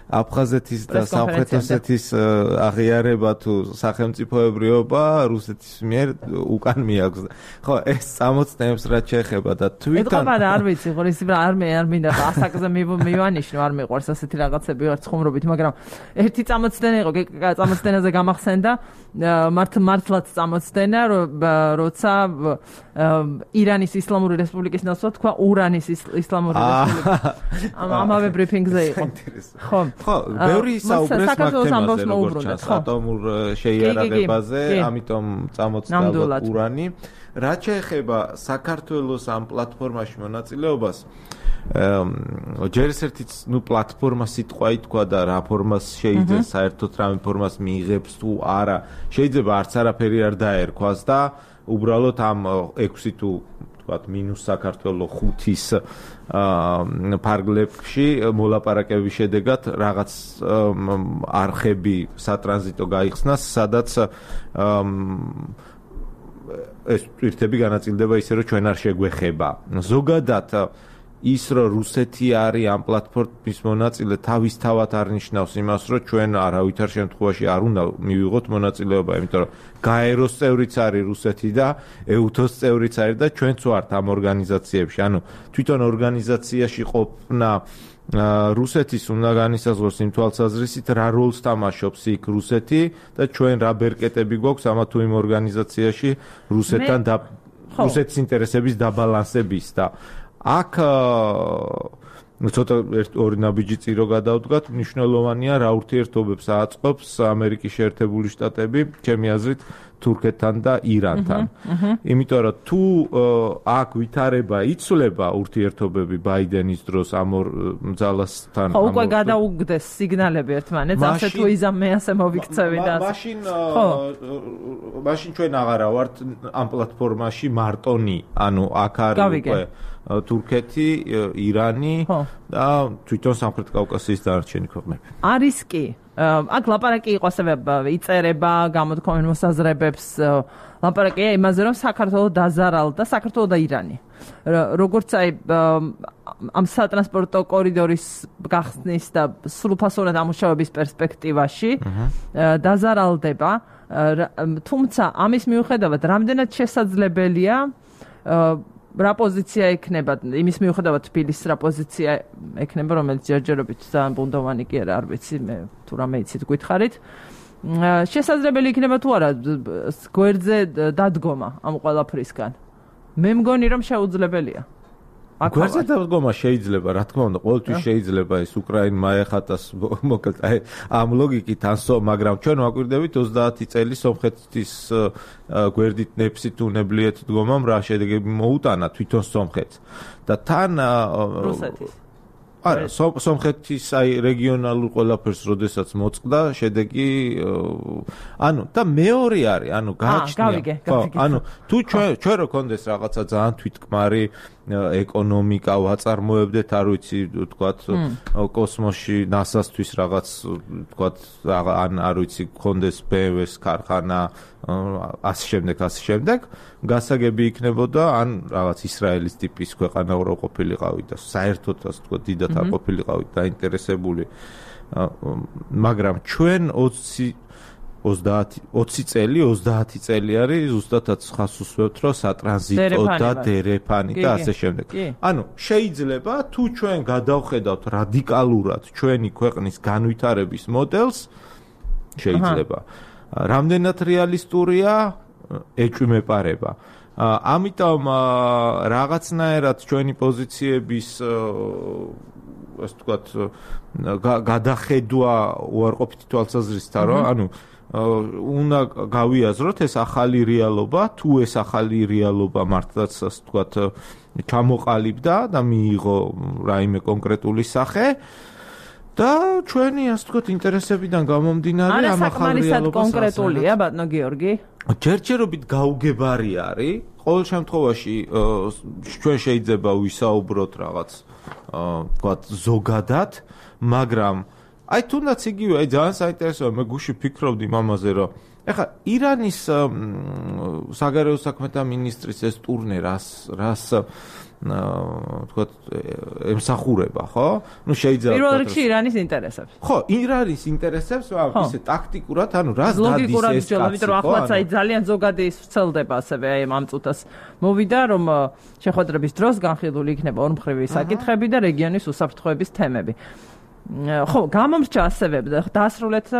აფხაზეთის და სამხრეთ ოსეთის აღიარება თუ სახელმწიფოებრიობა რუსეთის მიერ უკან მიაქვს. ხო, ეს წამოწდენებს რაც შეეხება და თვითონ არ ვიცი, ხო, ის არ მინდა ასაკზე მივანიშნო, არ მიყვარს ასეთი რაღაცები ვარ ცხუმრობით, მაგრამ ერთი წამოწდენა იყო, წამოწდენაზე გამახსენდა, მართლაც წამოწდენა, როცა ირანის ისლამური რესპუბლიკის ნაცვლად თქვა ურანის ისლამური რესპუბლიკა. ამავე ბრიფინგზე იყო. ხო. ხო, ბევრი საუბრეს მაგ თემაზე, როგორც ჩანს, ატომურ შეიარაღებაზე, ამიტომ წამოწდა ურანი. რაც შეეხება საქართველოს ამ პლატფორმაში მონაწილეობას, ჯერ ერთიც, პლატფორმა სიტყვა ითქვა და რა ფორმას შეიძლება საერთოდ რამე ფორმას მიიღებს თუ არა, შეიძლება არც არაფერი არ დაერქვას და უბრალოდ ამ 6 თუ ვთქვათ მინუს საქართველოს 5-ის ფარგლებში მოლაპარაკების შედეგად რაღაც არხები სატრანზიტო გაიხსნას, სადაც ეს ტვირთები განაწილდება ისე, რომ ჩვენ არ შეგვეხება. ზოგადად ის, რომ რუსეთი არის ამ პლატფორმის მონაწილე, თავისთავად არ ნიშნავს იმას, რომ ჩვენ არავითარ შემთხვევაში არ უნდა მივიღოთ მონაწილეობა, იმიტომ რომ გაეროს წევრიც არის რუსეთი და ეუთოს წევრიც არის და ჩვენც ვართ ამ ორგანიზაციებში. ანუ თვითონ ორგანიზაციაში ყოფნა რუსეთის უნდა განისაზღვროს იმ თვალსაზრისით, რა როლს თამაშობს იქ რუსეთი და ჩვენ რა ბერკეტები გვაქვს ამა თუ იმ ორგანიზაციაში რუსეთთან და რუსეთის ინტერესების დაბალანსების და აქ ცოტა ორი ნაბიჯი წირო გადავდგათ, მნიშვნელოვანია რა ურთიერთობებს აწყობს ამერიკის შეერთებული შტატები, ჩემი აზრით, თურქეთთან და ირანთან. იმიტომ რომ თუ აქ ვითარება იცვლება ურთიერთობები ბაიდენის დროს ამ ორ ძალასთან, ხო, უკვე გადაუგდეს სიგნალები ერთმანეთს, ასე თუ იზამე ასე მოვიქცევი და მაშინ ჩვენ აღარა ვართ ამ პლატფორმაში მარტონი, ანუ აქ არის უკვე თურქეთი, ირანი და თვითონ სამხრეთ კავკასიის დანარჩენი ქვეყნები. არის კი. აქ ლაპარაკი იყო ასევე იწერება გამოთქმენ მოსაზრებებს, ლაპარაკია იმაზე, რომ საქართველოს დაზარალდა საქართველოს და ირანი. როგორც აი ამ სატრანსპორტო კორიდორის გახსნის და სრულფასოვნად ამუშავების პერსპექტივაში დაზარალდება, თუმცა ამის მიუხედავად რამდენად შესაძლებელია რა პოზიცია ექნება, იმის მიუხედავად თბილისის რა პოზიცია ექნება, რომელიც ჯერჯერობით ძალიან ბუნდოვანი კი არა, არ ვიცი, მე თუ რამე იცით გითხარით. შესაძლებელი იქნება თუ არა გვერდზე დადგომა ამ ყველაფრისგან. მე მგონი რომ შეუძლებელია. გვერდზე დადგომა შეიძლება, რა თქმა უნდა, ყოველთვის შეიძლება ეს უკრაინმა ეხატას მოკლედ აი ამ ლოგიკით ანსო, მაგრამ ჩვენ ვაკვირდებით 30 წელი სომხეთის გვერდით ნეფსით უნებლიეთ დგომამ რა შედეგები მოუტანა თვითონ სომხეთს და თან რუსეთის არა, სომხეთის აი რეგიონალურ ყველაფერს როდესაც მოწყდა, შედეგი ანუ და მეორე არის, ანუ გააჩნია. ანუ თუ ჩვენ რო კონდეს რაღაცა ძალიან თვითკმარი ეკონომიკა ვაწარმოებდეთ, არ ვიცი, თქვათ, კოსმოსში NASA-სთვის რაღაც, თქვათ, ან არ ვიცი, კონდეს BMW-ს ქარხანა, ასე შემდეგ, გასაგები იქნებოდა, ან რაღაც ისრაელის ტიპის ქვეყანა რო ყოფილიყავით და საერთოდ ასე თქვათ, დიდად არ ყოფილიყავით დაინტერესებული. მაგრამ ჩვენ 20 წელი არის ზუსტადაც ხას უსვევთ, რომ სატრანზიტო და დერეფანი და ასე შემდეგ. ანუ შეიძლება თუ ჩვენ გადავხედავთ რადიკალურად ჩვენი ქვეყნის განვითარების მოდელს, შეიძლება. რამდენად რეალისტურია ეჭვმეპარება. ამიტომ რაღაცნაირად ჩვენი პოზიციების ასე ვთქვათ გადახედვა უარყოფითი თვალსაზრისით არა, ანუ უნდა გავიაზროთ ეს ახალი რეალობა, თუ ეს ახალი რეალობა მართლაც ასე ვთქვათ ჩამოყალიბდა და მიიღო რაიმე კონკრეტული სახე და ჩვენი ასე ვთქვათ ინტერესებიდან გამომდინარე ამ ახალ რეალობას კონკრეტულია ბატონო გიორგი? ჯერჯერობით გაუგებარი არის. ყოველ შემთხვევაში ჩვენ შეიძლება ვისაუბროთ რაღაც ვთქვათ ზოგადად, მაგრამ აი თუნდაც იგივე, აი ძალიან საინტერესოა, მე გუში ფიქრობდი მამაზე, რომ ეხლა ირანის საგარეო საქმეთა მინისტრის ეს ტურნე რას ვთქვათ ემსახურება, ხო? ნუ შეიძლება პირველ რიგში ირანის ინტერესებს. ხო, ირანის ინტერესებს, ისე ტაქტიკურად, ანუ რას დადის ეს კაცი, იმიტომ რომ ახლაც აი ძალიან ზოგადი ვრცელდება ასევე აი ამ წუთას მოვიდა, რომ შეხვედრების დროს განხილული იქნება ორმხრივი საკითხები და რეგიონის უსაფრთხოების თემები. ხო, გამომრჩა ასევე დაასრულეთ და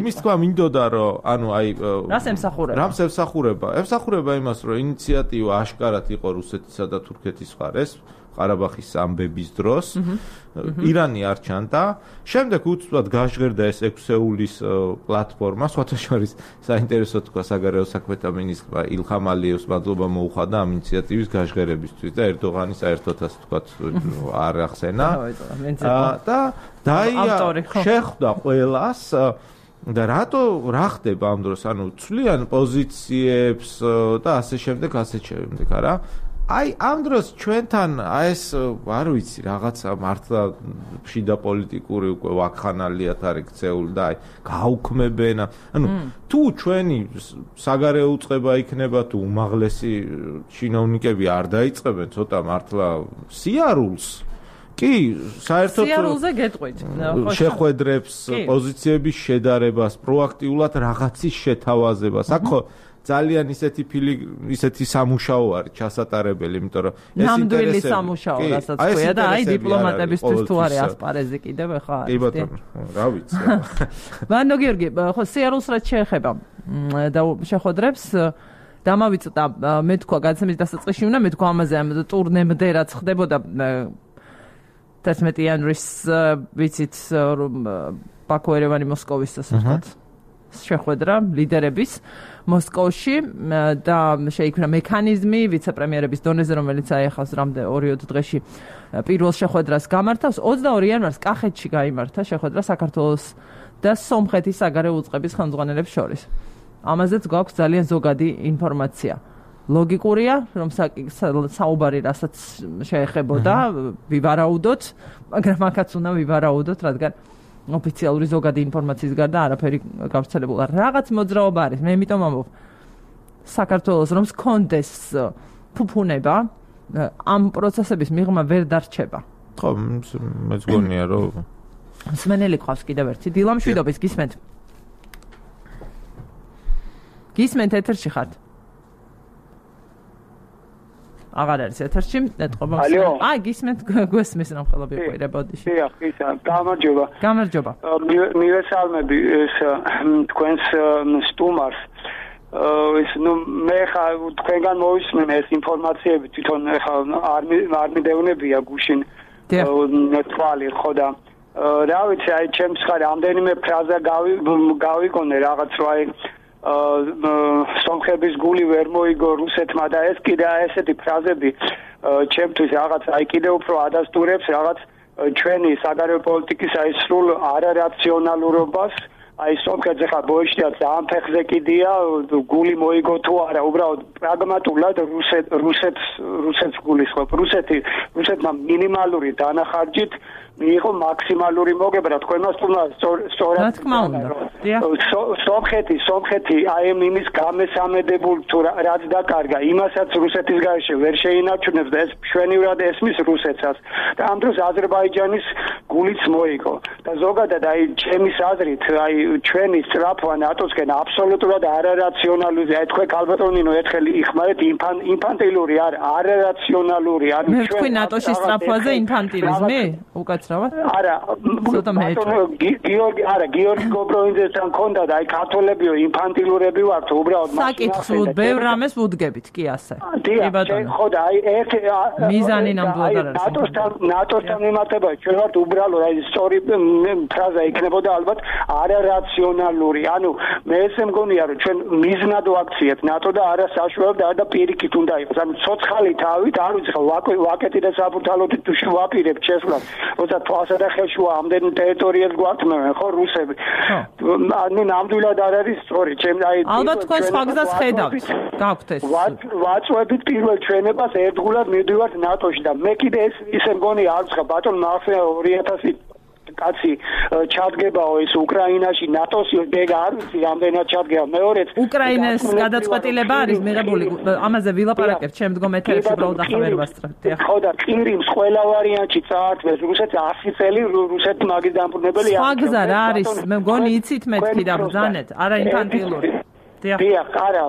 იმის თქვა მინდოდა, რომ ანუ აი რას ემსახურება? რას ემსახურება? ემსახურება იმას, რომ ინიციატივა აშკარად იყო რუსეთისა და თურქეთის მხარეს ყარაბაღის ამბების დროს. ირანი არ ჩანდა. შემდეგ უცბად გაჟღერდა ეს 6 ეულის პლატფორმა, სხვათა შორის საინტერესო თქვა საგარეო საქმეთა მინისტრმა ილხამ ალიევს მადლობა მოუხადა ამ ინიციატივის გაჟღერებისთვის და ერდოღანი საერთოდ ასე თქვა არ ახსენა. და შეხვდა ყველას და რა ხდება ამ დროს, ანუ ცვლიან პოზიციებს და ასე შემდეგ, არა? აი ამ დროს ჩვენთან ეს არ ვიცი რაღაცა მართლა შიდა პოლიტიკური უკვე ვაკხანალიათ არის ქცეული და აი გაუქმებენ ანუ თუ ჩვენი საგარეო უწყება იქნება თუ უმაღლესი ჩინოვნიკები არ დაიწყებენ ცოტა მართლა სიარულს კი საერთოდ სიარულზე გეტყვით შეხვედრებს პოზიციების შედარებას პროაქტიულად რაღაცის შეთავაზებას აქ ხო ძალიან ისეთი სამუშაო არის ჩასატარებელი, იმიტომ რომ ეს ნამდვილი სამუშაო, რასაც ქვია და აი დიპლომატებისთვის თუ არის ასპარეზი კიდევ ხა არის. კი ბატონო, რა ვიცი. ბატონო გიორგი, ხო სიარულს რაც შეეხება და შეხვედრებს დამავიწყდა მე თქვა გადაცემის დასაწყისში უნდა მე თქვა ამაზე ამ ტურნემდე რაც ხდებოდა 11 იანვრის ვიცით ბაქო ერევანი მოსკოვის ასე ვთქვათ შეხვედრა ლიდერების მოსკოვში და შეიქმნა მექანიზმი ვიცე-პრემიერების დონეზე, რომელიც აეხავს რამდენ 2-3 დღეში პირველ შეხვედრას გამართავს. 22 იანვარს კახეთში გაიმართა შეხვედრა საქართველოს და სომხეთის საგარეო უწყების ხელმძღვანელებს შორის. ამაზეც გვაქვს ძალიან ზოგადი ინფორმაცია. ლოგიკურია, რომ საუბარი რასაც შეეხებოდა ვივარაუდოთ, მაგრამ აქაც უნდა ვივარაუდოთ, რადგან ოფიციალური ზოგადი ინფორმაციის გარდა არაფერი გავრცელებული არ. რაღაც მოძრაობა არის. მე იმიტომ ამბობ საქართველოს რომ სქონდეს ფუფუნება ამ პროცესების მიღმა ვერ დარჩება. ხო, მეც გონია რომ მსმენელი ყავს კიდევ ერთი. დილა მშვიდობის გისმენთ. გისმენთ ეთერში ხართ? აღარ არის ეთერში, ეთყობა. აი, გისმენთ გვესმის რომ ხელები უყურებოდი. დიახ, ისა, გამარჯობა. გამარჯობა. მივესალმები ეს თქვენს სტუმარს ის მე ხა თქვენგან მოვისმენე ეს ინფორმაციები თვითონ ხა არ მიდევნებია გუშინ თვალი ხო და რა ვიცი აი ჩემს ხარ ამდენიმე ფრაზა გავიკონე რაღაც რა აი სომხების გული ვერ მოიგო რუსეთმა და ეს კიდე ესეთი ფრაზები ჩემთვის რაღაც აი კიდე უფრო ადასტურებს რაღაც ჩვენი საგარეო პოლიტიკის აი სრულ არარაციონალურობას აი სომხეთზე ხა ბოიშტიაც ამ ფეხზე კიდია გული მოიგო თუ არა უბრალოდ პრაგმატულად რუსეთს გულისხმობ რუსეთმა მინიმალური დანახარჯით მიიღო მაქსიმალური მოგება თქვენმა სწორად რა თქმა უნდა სომხეთი აი იმის გამესამედებულ თუ რაც დაკარგა იმასაც რუსეთის გარეშე ვერ შეინარჩუნებს და ეს მშვენივრად ესმის რუსეთსაც და ამ დროს აზერბაიჯანის გულიც მოიგო და ზოგადად აი ჩემის აზრით აი ჩვენი სწრაფვა ნატოსკენ აბსოლუტურად არარაციონალური აი თქვენ ქალბატონინო ერთხელ იხმარეთ ინფანტილური არარაციონალური არის მე თქვი ნატოში სწრაფვაზე ინფანტილიზმი უკაცრავად არა გიორგი გობროინძესთან ქონდა და აი ქართველებიო ინფანტილურები ვართ უბრალოდ საკითხს ბევრ რამეს ვუდგებით კი ასე კი ბატონო ხო და აი ერთ მიზანი ნამდვილად არ არის ნატოსთან მიმართება ჩვენ ვართ უბრალოდ აი სწორი ფრაზა იქნებოდა ალბათ არარაციონალური ანუ მე ესე მგონია რომ ჩვენ მიზნად ვაქციეთ ნატო და არა საშუალებ და არა პირიქით უნდა იყოს ანუ ცოცხალი თავით არ ვიცი ხო ვაკეტი და საბურთალოთი თუ შევაპირებთ შესვლას როცა თვალსა და ხელშუა ამდენ ტერიტორიას გვართმევენ ხო რუსები ანუ ნამდვილად არ არის სწორი ჩემ აი ალბათ თქვენ სხვა გზას ხედავთ გაქვთ ეს ვაწვევით პირველ ჩვენებას ერთგულად მივდივართ ნატოში და მე კიდე ეს ისე მგონია არ ვცხა ბატონ მახსოვს 2000 კაცი ჩადგებაო ეს უკრაინაში ნატოსი დეგა არ ვიცი რამდენად ჩადგება მეორეც უკრაინას გადაწყვეტილება არის მიღებული ამაზე ვილაპარაკებთ შემდგომ ეთერებში უბრალოდ ახლა ვერ ვასწრებთ ხო და ყირიმს ყველა ვარიანტში წაართვეს რუსეთს 100 წელი რუსეთი მაგის დამფუძნებელი სხვა გზა რა არის მე მგონი იცით მეთქი და ბრძანეთ არა ინფანტილური დიახ არა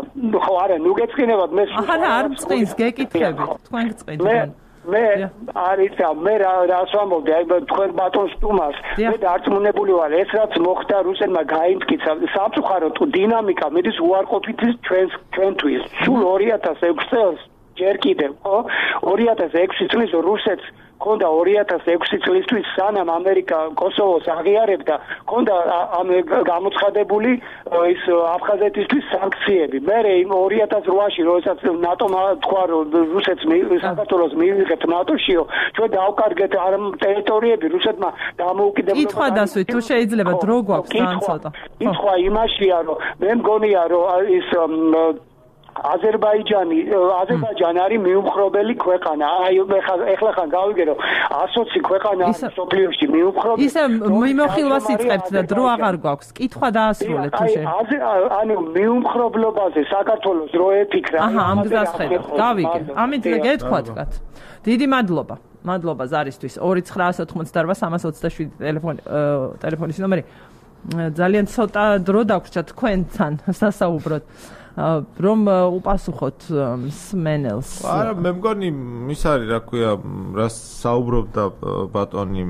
ხო არა ნუ გეწყინებათ მე არა არ წqins გეკითხები თქვენ გწყინთ მე არიცა მე რას ვამბობდი აი თქვენ ბატონს სტუმარს მე დარწმუნებული ვარ ეს რაც მოხდა რუსეთმა გაიმტკიცა სამწუხაროდ დინამიკა მედის უარყოფითი ჩვენთვის სულ 2006 წელს ჯერ კიდევ ხო 2006 წლის რუსეთს ქონდა 2006 წლისთვის სანამ ამერიკა კოსოვოს აღიარებდა ქონდა ამ გამოცხადებული ის აფხაზეთისთვის სანქციები მე 2008-ში როდესაც ნატომ თქვა რომ რუსეთს საქართველოს მიიღებთ ნატოშიო ჩვენ დავკარგეთ არ ტერიტორიები რუსეთმა დამოუკიდებლობა კითხვა დასვით თუ შეიძლება დრო გვაქვს ძალიან ცოტა კითხვა იმაშია რომ მე მგონია რომ ის აზერბაიჯანი არის მიუმხრობელი ქვეყანა. აი ეხლა ხან გავიგერო 120 ქვეყანა სოფლიოში მიუმხრობელი. ისე მიმოხილვას იწყებთ და დრო აღარ გვაქვს. კითხვა დაასრულეთ თუ შეიძლება. ანუ მიუმხრობლობაზე საქართველოს რო ეთიქრა. აჰა, ამ გზას ხედავ. გავიგე. ამით გეთქვათ კაც. დიდი მადლობა. მადლობა ზარისთვის 2988327 ტელეფონის ნომერი. ძალიან ცოტა დრო დაგვრჩა თქვენთან სასაუბროდ. რომ უპასუხოთ სმენელს. არა, მე მგონი ის არის, რა ქვია, რა საუბრობდა ბატონი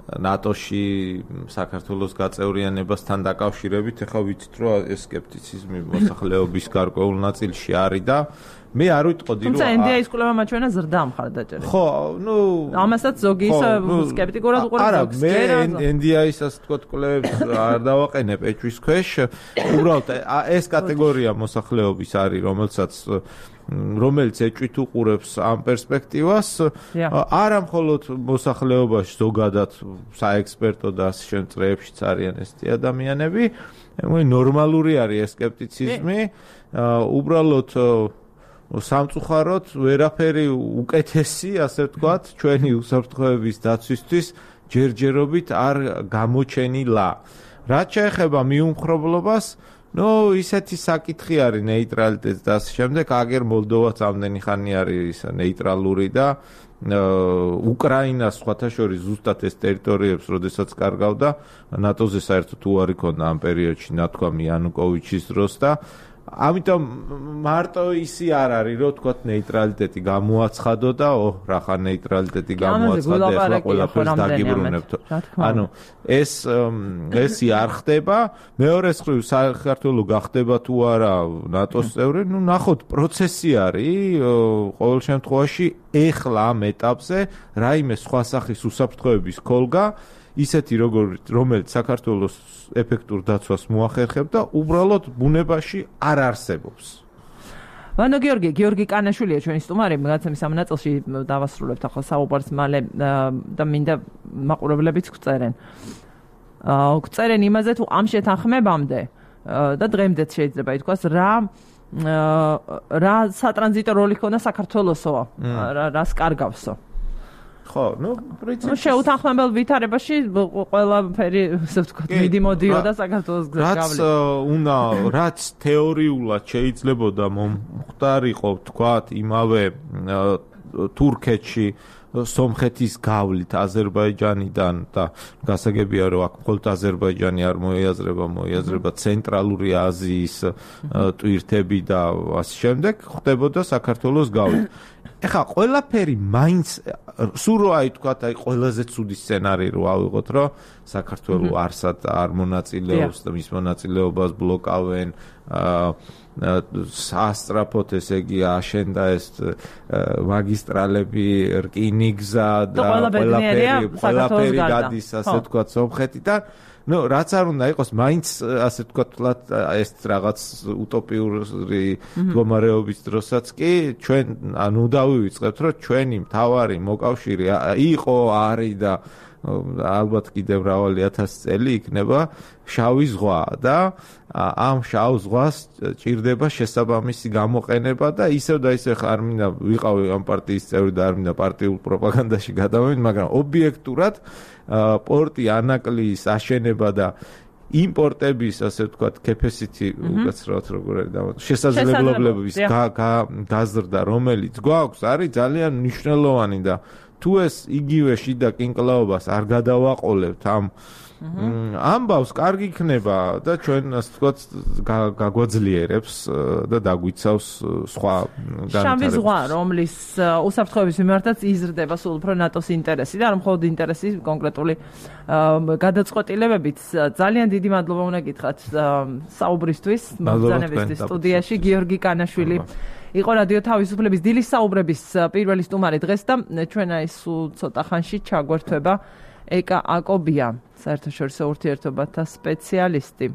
ნატოში საქართველოს გაწევრიანებასთან დაკავშირებით, ეხლა ვიცით, რომ ეს სკეპტიციზმი მოსახლეობის გარკვეულ ნაწილში არის და მე არ ვიტყოდი რომ თუმცა NDI-ის კვლევა მაჩვენა ზრდა მხარდაჭერით. ხო, ნუ ამასაც ზოგი სკეპტიკურად უყურებს. მე NDI-საც თქო კვლევებს არ დავაყენებ ეჭვის ქვეშ. უბრალოდ ეს კატეგორია მოსახლეობის არის, რომელიც ეჭვით უყურებს ამ პერსპექტივას. არა მხოლოდ მოსახლეობაში ზოგადად საექსპერტო და შემწრეებშიც არიან ესეთი ადამიანები. ნორმალური არის ეს სკეპტიციზმი. უბრალოდ სამწუხაროდ ვერაფერი უკეთესი, ასე ვთქვათ, ჩვენი უსაფრთხოების დაცვისთვის ჯერჯერობით არ გამოჩენილა. რაც შეეხება მიუმხრობლობას, ისეთი საკითხი არის ნეიტრალიტეტს და ასე შემდეგ, აგერ მოლდოვაც ამდენი ხანი არის ნეიტრალური და უკრაინას სხვათა შორის ზუსტად ეს ტერიტორიებს, როდესაც კარგავდა, ნატოზე საერთოდ უარი ქონდა ამ პერიოდში, ნათქვამი იანუკოვიჩის დროს და ამიტომ მარტო ისი არ არის, რომ თქვათ ნეიტრალიტეტი გამოაცხადო და რახა ნეიტრალიტეტი გამოაცხადე, ახლა ყველაფერს დაგიბრუნებთ. ანუ ეს არ ხდება. მეორეს მხრივ საქართველო გახდება თუ არა ნატოს წევრი, ნახოთ პროცესი არის, ყოველ შემთხვევაში ეხლა ამ ეტაპზე რაიმე სხვა სახის უსაფრთხოების ქოლგა ისეთი რომელიც საქართველოს ეფექტურ დაცვას მოახერხებდა და უბრალოდ ბუნებაში არ არსებობს. ვანო გიორგი კანაშვილია ჩვენი სტუმარი, გადაცემის ამ ნაწილში დავასრულებთ ახლა საუბარს მალე და მინდა მაყურებლებიც გვწერენ. გვწერენ იმაზე თუ ამ შეთანხმებამდე და დღემდეც შეიძლება ითქვას რა სატრანზიტო როლი ქონდა საქართველოსო, რას კარგავსო. ხო, პრინციპში შეუთანხმებელ ვითარებაში ყველაფერი, ასე ვთქვათ, მიდიმოდიოდა საქართველოს გავლით. რაც თეორიულად შეიძლებოდა მომხდარიყო, ვთქვათ, იმავე თურქეთში სომხეთის გავლით აზერბაიჯანიდან და გასაგებია რომ აქ მხოლოდ აზერბაიჯანი არ მოიაზრება ცენტრალური აზიის ტვირთები და ასე შემდეგ ხდებოდა საქართველოს გავლით. ეხლა ყველაფერი მაინც სულ რო თქვათ ყველაზე ცუდი სცენარი რო ავიღოთ რომ საქართველოს არსად არ მონაწილეობს და მის მონაწილეობას ბლოკავენ სასტრაფოთ ესე იგი აშენდა ეს მაგისტრალები რკინიგზა და ყველაფერი გადის ასე ვთქვათ სომხეთიდან რაც არ უნდა იყოს მაინც ასე ვთქვათ ეს რაღაც უტოპიური მდგომარეობის დროსაც კი ჩვენ ანუ დავივიწყებთ რომ ჩვენი მთავარი მოკავშირე იყო არის და ალბათ კიდევ მრავალი 1000 წელი იქნება შავი ზღვა და ამ შავ ზღვას ჭირდება შესაბამისი გამოყენება და ისევ და ისევ არ მინდა ვიყავი ამ პარტიის წევრი და არ მინდა პარტიულ პროპაგანდაში გადავიდე, მაგრამ ობიექტურად პორტი ანაკლიის აშენება და იმპორტების ასე ვთქვათ capacity უკაცრავად როგორ არის შესაძლებლობების გაზრდა რომელიც გვაქვს არის ძალიან მნიშვნელოვანი და თუ ეს იგივე შიდა კინკლაობას არ გადავაყოლებთ ამბავს კარგი იქნება და ჩვენ ასე ვთქვათ გაგვაძლიერებს და დაგვიცავს სხვა განვითარებას. შავი ზღვა, რომლის უსაფრთხოების მიმართაც იზრდება სულ უფრო ნატოს ინტერესი და არ მხოლოდ ინტერესი კონკრეტული გადაწყვეტილებებით. ძალიან დიდი მადლობა უნდა გითხრათ საუბრისთვის, მოგზაურობისთვის სტუდიაში გიორგი კანაშვილი. იყო რადიო თავისუფლების დილის საუბრების პირველი სტუმარი დღეს და ჩვენ აი სულ ცოტა ხანში ჩაგვერთვება ეკა აკობია, საერთაშორისო ურთიერთობათა სპეციალისტი.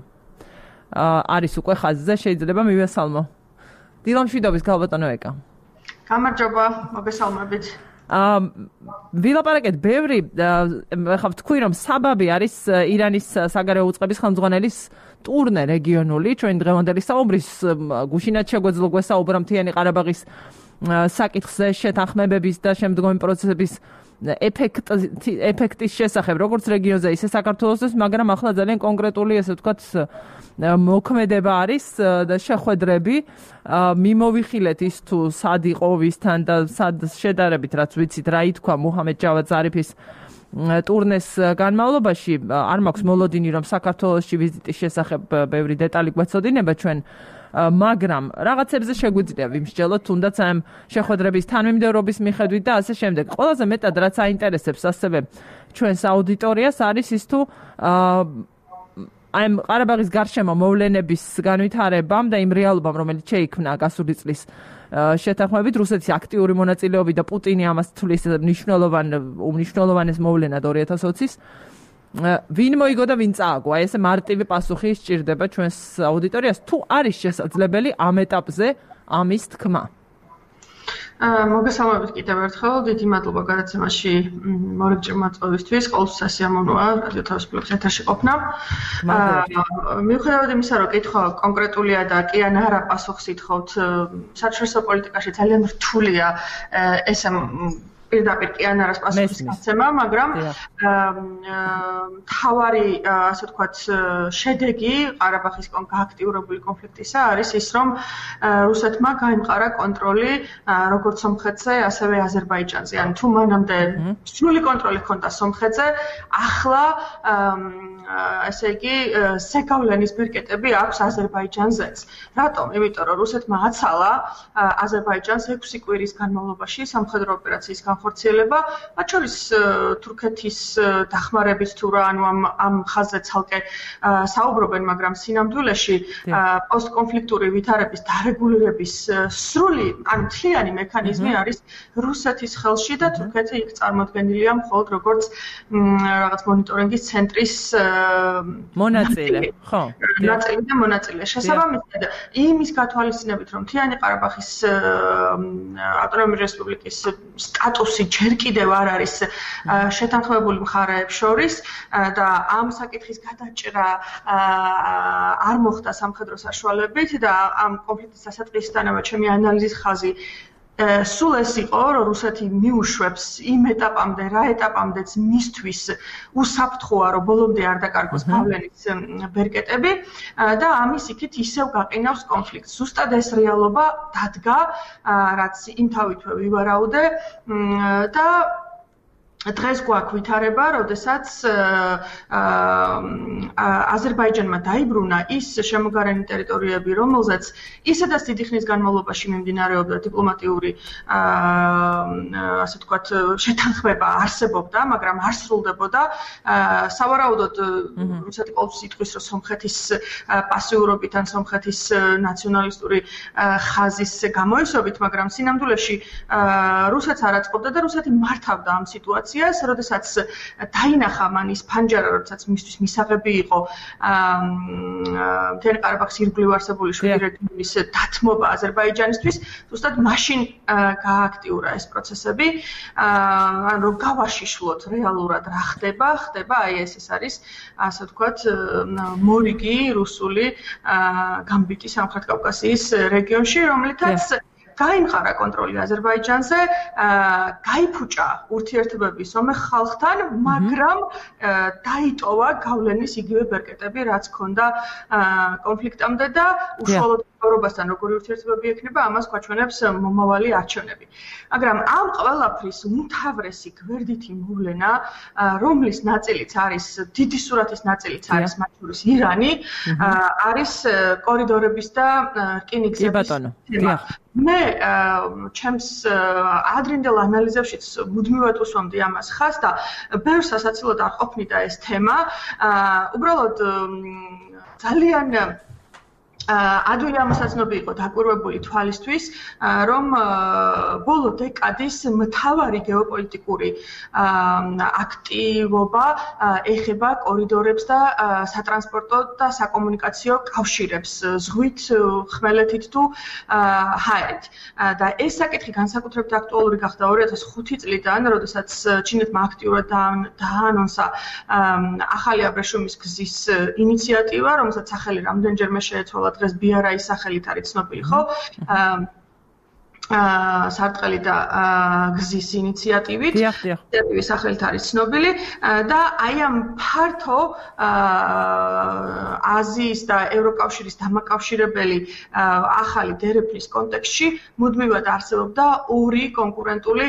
არის უკვე ხაზზე, შეიძლება მივესალმო. დილამშვიდობის ქალბატონო ეკა. გამარჯობა, მოგესალმებით. ვილაპარაკეთ ბევრი, ახლა ვთქვი რომ საბაბი არის ირანის საგარეო უწყების ხელმძღვანელის ტურნე რეგიონული, ჩვენ დღევანდელი საუბრის გუშინაც შეგვეძლო გვესაუბრა მთიანი ყარაბაღის საკითხზე, შეთანხმებების და შემდგომი პროცესების ეფექტის შესახებ, როგორც რეგიონზე, ისე საქართველოსთვის, მაგრამ ახლა ძალიან კონკრეტული, ესე ვთქვათ, მოქმედება არის და შეხვედრები მიმოვიხილეთ ის თუ სად იყო ვისთან და სად შედარებით, რაც ვიცით, რა ითქვა მუჰამედ ჯავად ზარიფის ტურნეს განმავლობაში. არ მაქვს მოლოდინი, რომ საქართველოში ვიზიტის შესახებ ბევრი დეტალი გვეცოდინება ჩვენ, მაგრამ რაღაცებზე შეგვიძლია ვიმსჯელოთ, თუნდაც ამ შეხვედრების თანმიმდევრობის მიხედვით და ასე შემდეგ. ყველაზე მეტად რაც აინტერესებს ასევე ჩვენს აუდიტორიას არის ის თუ ამ ყარაბაღის გარშემო მოვლენების განვითარებამ და იმ რეალობამ, რომელიც შეიქმნა გასული წლის შეთანხმებით რუსეთის აქტიური მონაწილეობით და პუტინი ამას თვლის უმნიშვნელოვანეს მოვლენად 2020-ის ვინ მოიგო და ვინ წააგო? აი ესე მარტივი პასუხი სჭირდება ჩვენს აუდიტორიას, თუ არის შესაძლებელი ამ ეტაპზე ამის თქმა. მოგესალმებით კიდევ ერთხელ, დიდი მადლობა გადაცემაში მორიგჭირ მოწვევისთვის, ყოველთვის სასიამოვნოა რადიო თავისუფლების ეთერში ყოფნა. მიუხედავად იმისა, რომ კითხვა კონკრეტულია და კი ან არა პასუხს ითხოვთ, საერთაშორისო პოლიტიკაში ძალიან რთულია ესე პირდაპირ კი ან არას პასუხის გაცემა, მაგრამ მთავარი, ასე ვთქვათ, შედეგი ყარაბაღის გააქტიურებული კონფლიქტისა არის ის, რომ რუსეთმა გაიმყარა კონტროლი როგორც სომხეთზე, ასევე აზერბაიჯანზე. ანუ თუ მანამდე სრული კონტროლი ჰქონდა სომხეთზე, ახლა ესე იგი ზეგავლენის ბერკეტები აქვს აზერბაიჯანზეც. რატომ? იმიტომ რომ რუსეთმა აცალა აზერბაიჯანს 6 კვირის განმავლობაში სამხედრო ოპერაციის განხორციელება, მათ შორის თურქეთის დახმარებით თუ რა, ანუ ამ ხაზზე ცალკე საუბრობენ, მაგრამ სინამდვილეში პოსტკონფლიქტური ვითარების დარეგულირების სრული, ანუ მთლიანი მექანიზმი არის რუსეთის ხელში და თურქეთი იქ წარმოდგენილია მხოლოდ როგორც რაღაც მონიტორინგის ცენტრის მონაწილე, ხო? ნაწილი და მონაწილე. შესაბამისად, იმის გათვალისწინებით, რომ მთიანი ყარაბაღის ავტონომიური რესპუბლიკის სტატუსი ჯერ კიდევ არ არის შეთანხმებული მხარეებს შორის და ამ საკითხის გადაჭრა არ მოხდა სამხედრო საშუალებით და ამ კონფლიქტის დასაწყისიდანავე ჩემი ანალიზის ხაზი სულ ეს იყო, რომ რუსეთი მიუშვებს იმ ეტაპამდე, რა ეტაპამდეც მისთვის უსაფრთხოა, რომ ბოლომდე არ დაკარგოს გავლენის ბერკეტები და ამის იქით ისევ გაყინავს კონფლიქტს. ზუსტად ეს რეალობა დადგა, რაც იმთავითვე ვივარაუდე და დღეს გვაქვს ვითარება, როდესაც აზერბაიჯანმა დაიბრუნა ის შემოგარენი ტერიტორიები, რომელზეც ისედაც დიდი ხნის განმავლობაში მიმდინარეობდა დიპლომატიური ასე ვთქვათ შეთანხმება არსებობდა, მაგრამ არ სრულდებოდა. სავარაუდოდ რუსეთი ყოველთვის იტყვის, რომ სომხეთის პასიურობით ან სომხეთის ნაციონალისტური ხაზის გამოისობით, მაგრამ სინამდვილეში რუსეთს არ აწყობდა და რუსეთი მართავდა ამ სიტუაციას. როდესაც დაინახა მან ის ფანჯარა, როდესაც მისთვის მისაღები იყო მთიანი ყარაბაღის ირგვლივ არსებული 7 რეგიონის დათმობა აზერბაიჯანისთვის, ზუსტად მაშინ გააქტიურა ეს პროცესები, რომ გავაშიშვლოთ რეალურად რა ხდება, აი ეს არის, ასე ვთქვათ, მორიგი რუსული გამბიტი სამხრეთ კავკასიის რეგიონში, რომლითაც გაიმყარა კონტროლი აზერბაიჯანზე, გაიფუჭა ურთიერთობები სომეხ ხალხთან, მაგრამ დაიტოვა გავლენის იგივე ბერკეტები, რაც ჰქონდა კონფლიქტამდე და უშუალოდ ევროპასთან როგორი ურთიერთობები ექნება, ამას გვაჩვენებს მომავალი არჩევნები. მაგრამ ამ ყველაფრის უმთავრესი გვერდითი მოვლენა, რომლის ნაწილიც არის, დიდი სურათის ნაწილიც არის მათ შორის ირანი, არის კორიდორების და რკინიგზების თემა. მე ჩემს ადრინდელ ანალიზებშიც მუდმივად უსვამდი ამას ხაზს და ბევრ სასაცილოდ არ ყოფნიდა ეს თემა. უბრალოდ ძალიან ადვილი ამოსაცნობი იყო დაკვირვებული თვალისთვის, რომ ბოლო დეკადის მთავარი გეოპოლიტიკური აქტივობა ეხება კორიდორებს და სატრანსპორტო და საკომუნიკაციო კავშირებს ზღვით, ხმელეთით თუ ჰაერით. და ეს საკითხი განსაკუთრებით აქტუალური გახდა 2005 წლიდან, როდესაც ჩინეთმა აქტიურად დაანონსა ახალი აბრეშუმის გზის ინიციატივა, რომელსაც სახელი რამდენჯერმე შეეცვალა დღეს ბიარაის სახელით არის ცნობილი, ხო? სარტყელი და გზის ინიციატივით, ინიციატივის სახელით არის ცნობილი და აი ამ ფართო აზიის და ევროკავშირის დამაკავშირებელი ახალი დერეფნის კონტექსტში მუდმივად არსებობდა ორი კონკურენტული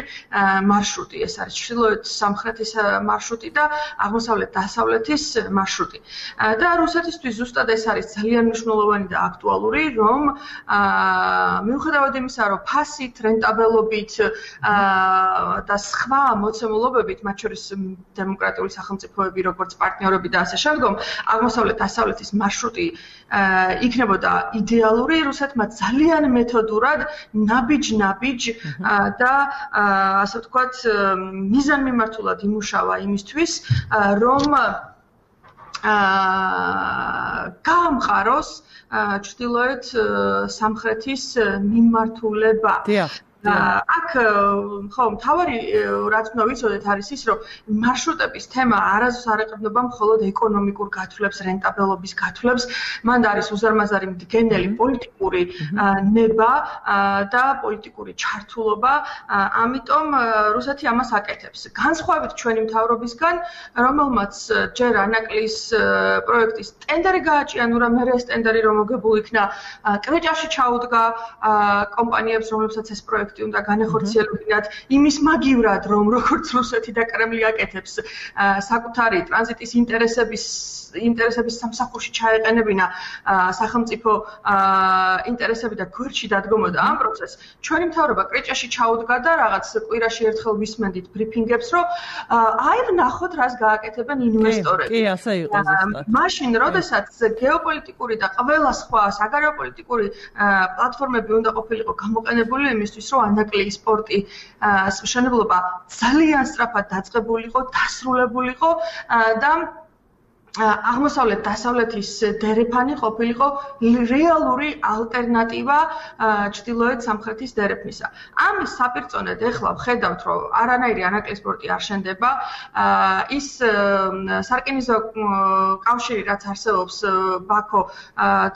მარშრუტი. ეს არის ჩრდილოეთ-სამხრეთის მარშრუტი და აღმოსავლეთ-დასავლეთის მარშრუტი. და რუსეთისთვის ზუსტად ეს არის ძალიან მნიშვნელოვანი და აქტუალური, რომ მიუხედავად იმისა, რომ ფასით, რენტაბელობით და სხვა მოცემულობებით, მათ შორის დემოკრატიული სახელმწიფოები, როგორც პარტნიორები და ასე შემდგომ, აღმოსავლეთ-დასავლეთის მარშრუტი იქნებოდა იდეალური, რუსეთმა ძალიან მეთოდურად ნაბიჯ-ნაბიჯ და ასე ვთქვათ, მიზანმიმართულად იმუშავა იმისთვის, რომ გაამყაროს ჩრდილოეთ სამხრეთის მიმართულება. აქ ხო მთავარი რაც უნდა ვიცოდეთ არის ის, რომ მარშრუტების თემა არასდროს არ ეყრდნობა მხოლოდ ეკონომიკურ გათვლებს, რენტაბელობის გათვლებს, მან არის უზარმაზარი მდგენელი პოლიტიკური ნება და პოლიტიკური ჩართულობა, ამიტომ რუსეთი ამას აკეთებს. განსხვავებით ჩვენი მთავრობისგან, რომელმაც ჯერ ანაკლის პროექტის ტენდერი გააჭია, ნუ რა მე ეს ტენდერი რომ მოგებულ იქნა, კვეჭაში ჩაუდგა კომპანიებს, რომლებსაც ეს პროექტი პროექტი უნდა განახორციელებინათ იმის მაგივრად, რომ როგორც რუსეთი და კრემლი აკეთებს საკუთარი ტრანზიტის ინტერესების სამსახურში ჩაეყენებინა სახელმწიფო ინტერესები და გვერდში დადგომოდა ამ პროცესს. ჩვენი მთავრობა კრეჭაში ჩაუდგა და რაღაც კვირაში ერთხელ ვისმენდით ბრიფინგებს, რომ აი ვნახოთ რას გააკეთებენ ინვესტორები. კი, ასე იყო ზუსტად. მაშინ, როდესაც გეოპოლიტიკური და ყველა სხვა საგარეოპოლიტიკური პლატფორმები უნდა ყოფილიყო გამოყენებული იმისთვის, რომ ანაკლიის პორტის მშენებლობა ძალიან სწრაფად დაწყებულიყო, დასრულებულიყო და აღმოსავლეთ დასავლეთის დერეფანი ყოფილიყო რეალური ალტერნატივა ჩრდილოეთ სამხრეთის დერეფნისა. ამის საპირწონედ ეხლა ვხედავთ, რომ არანაირი ანაკლის პორტი არ შენდება. ის სარკინიგზო კავშირი, რაც არსებობს ბაქო,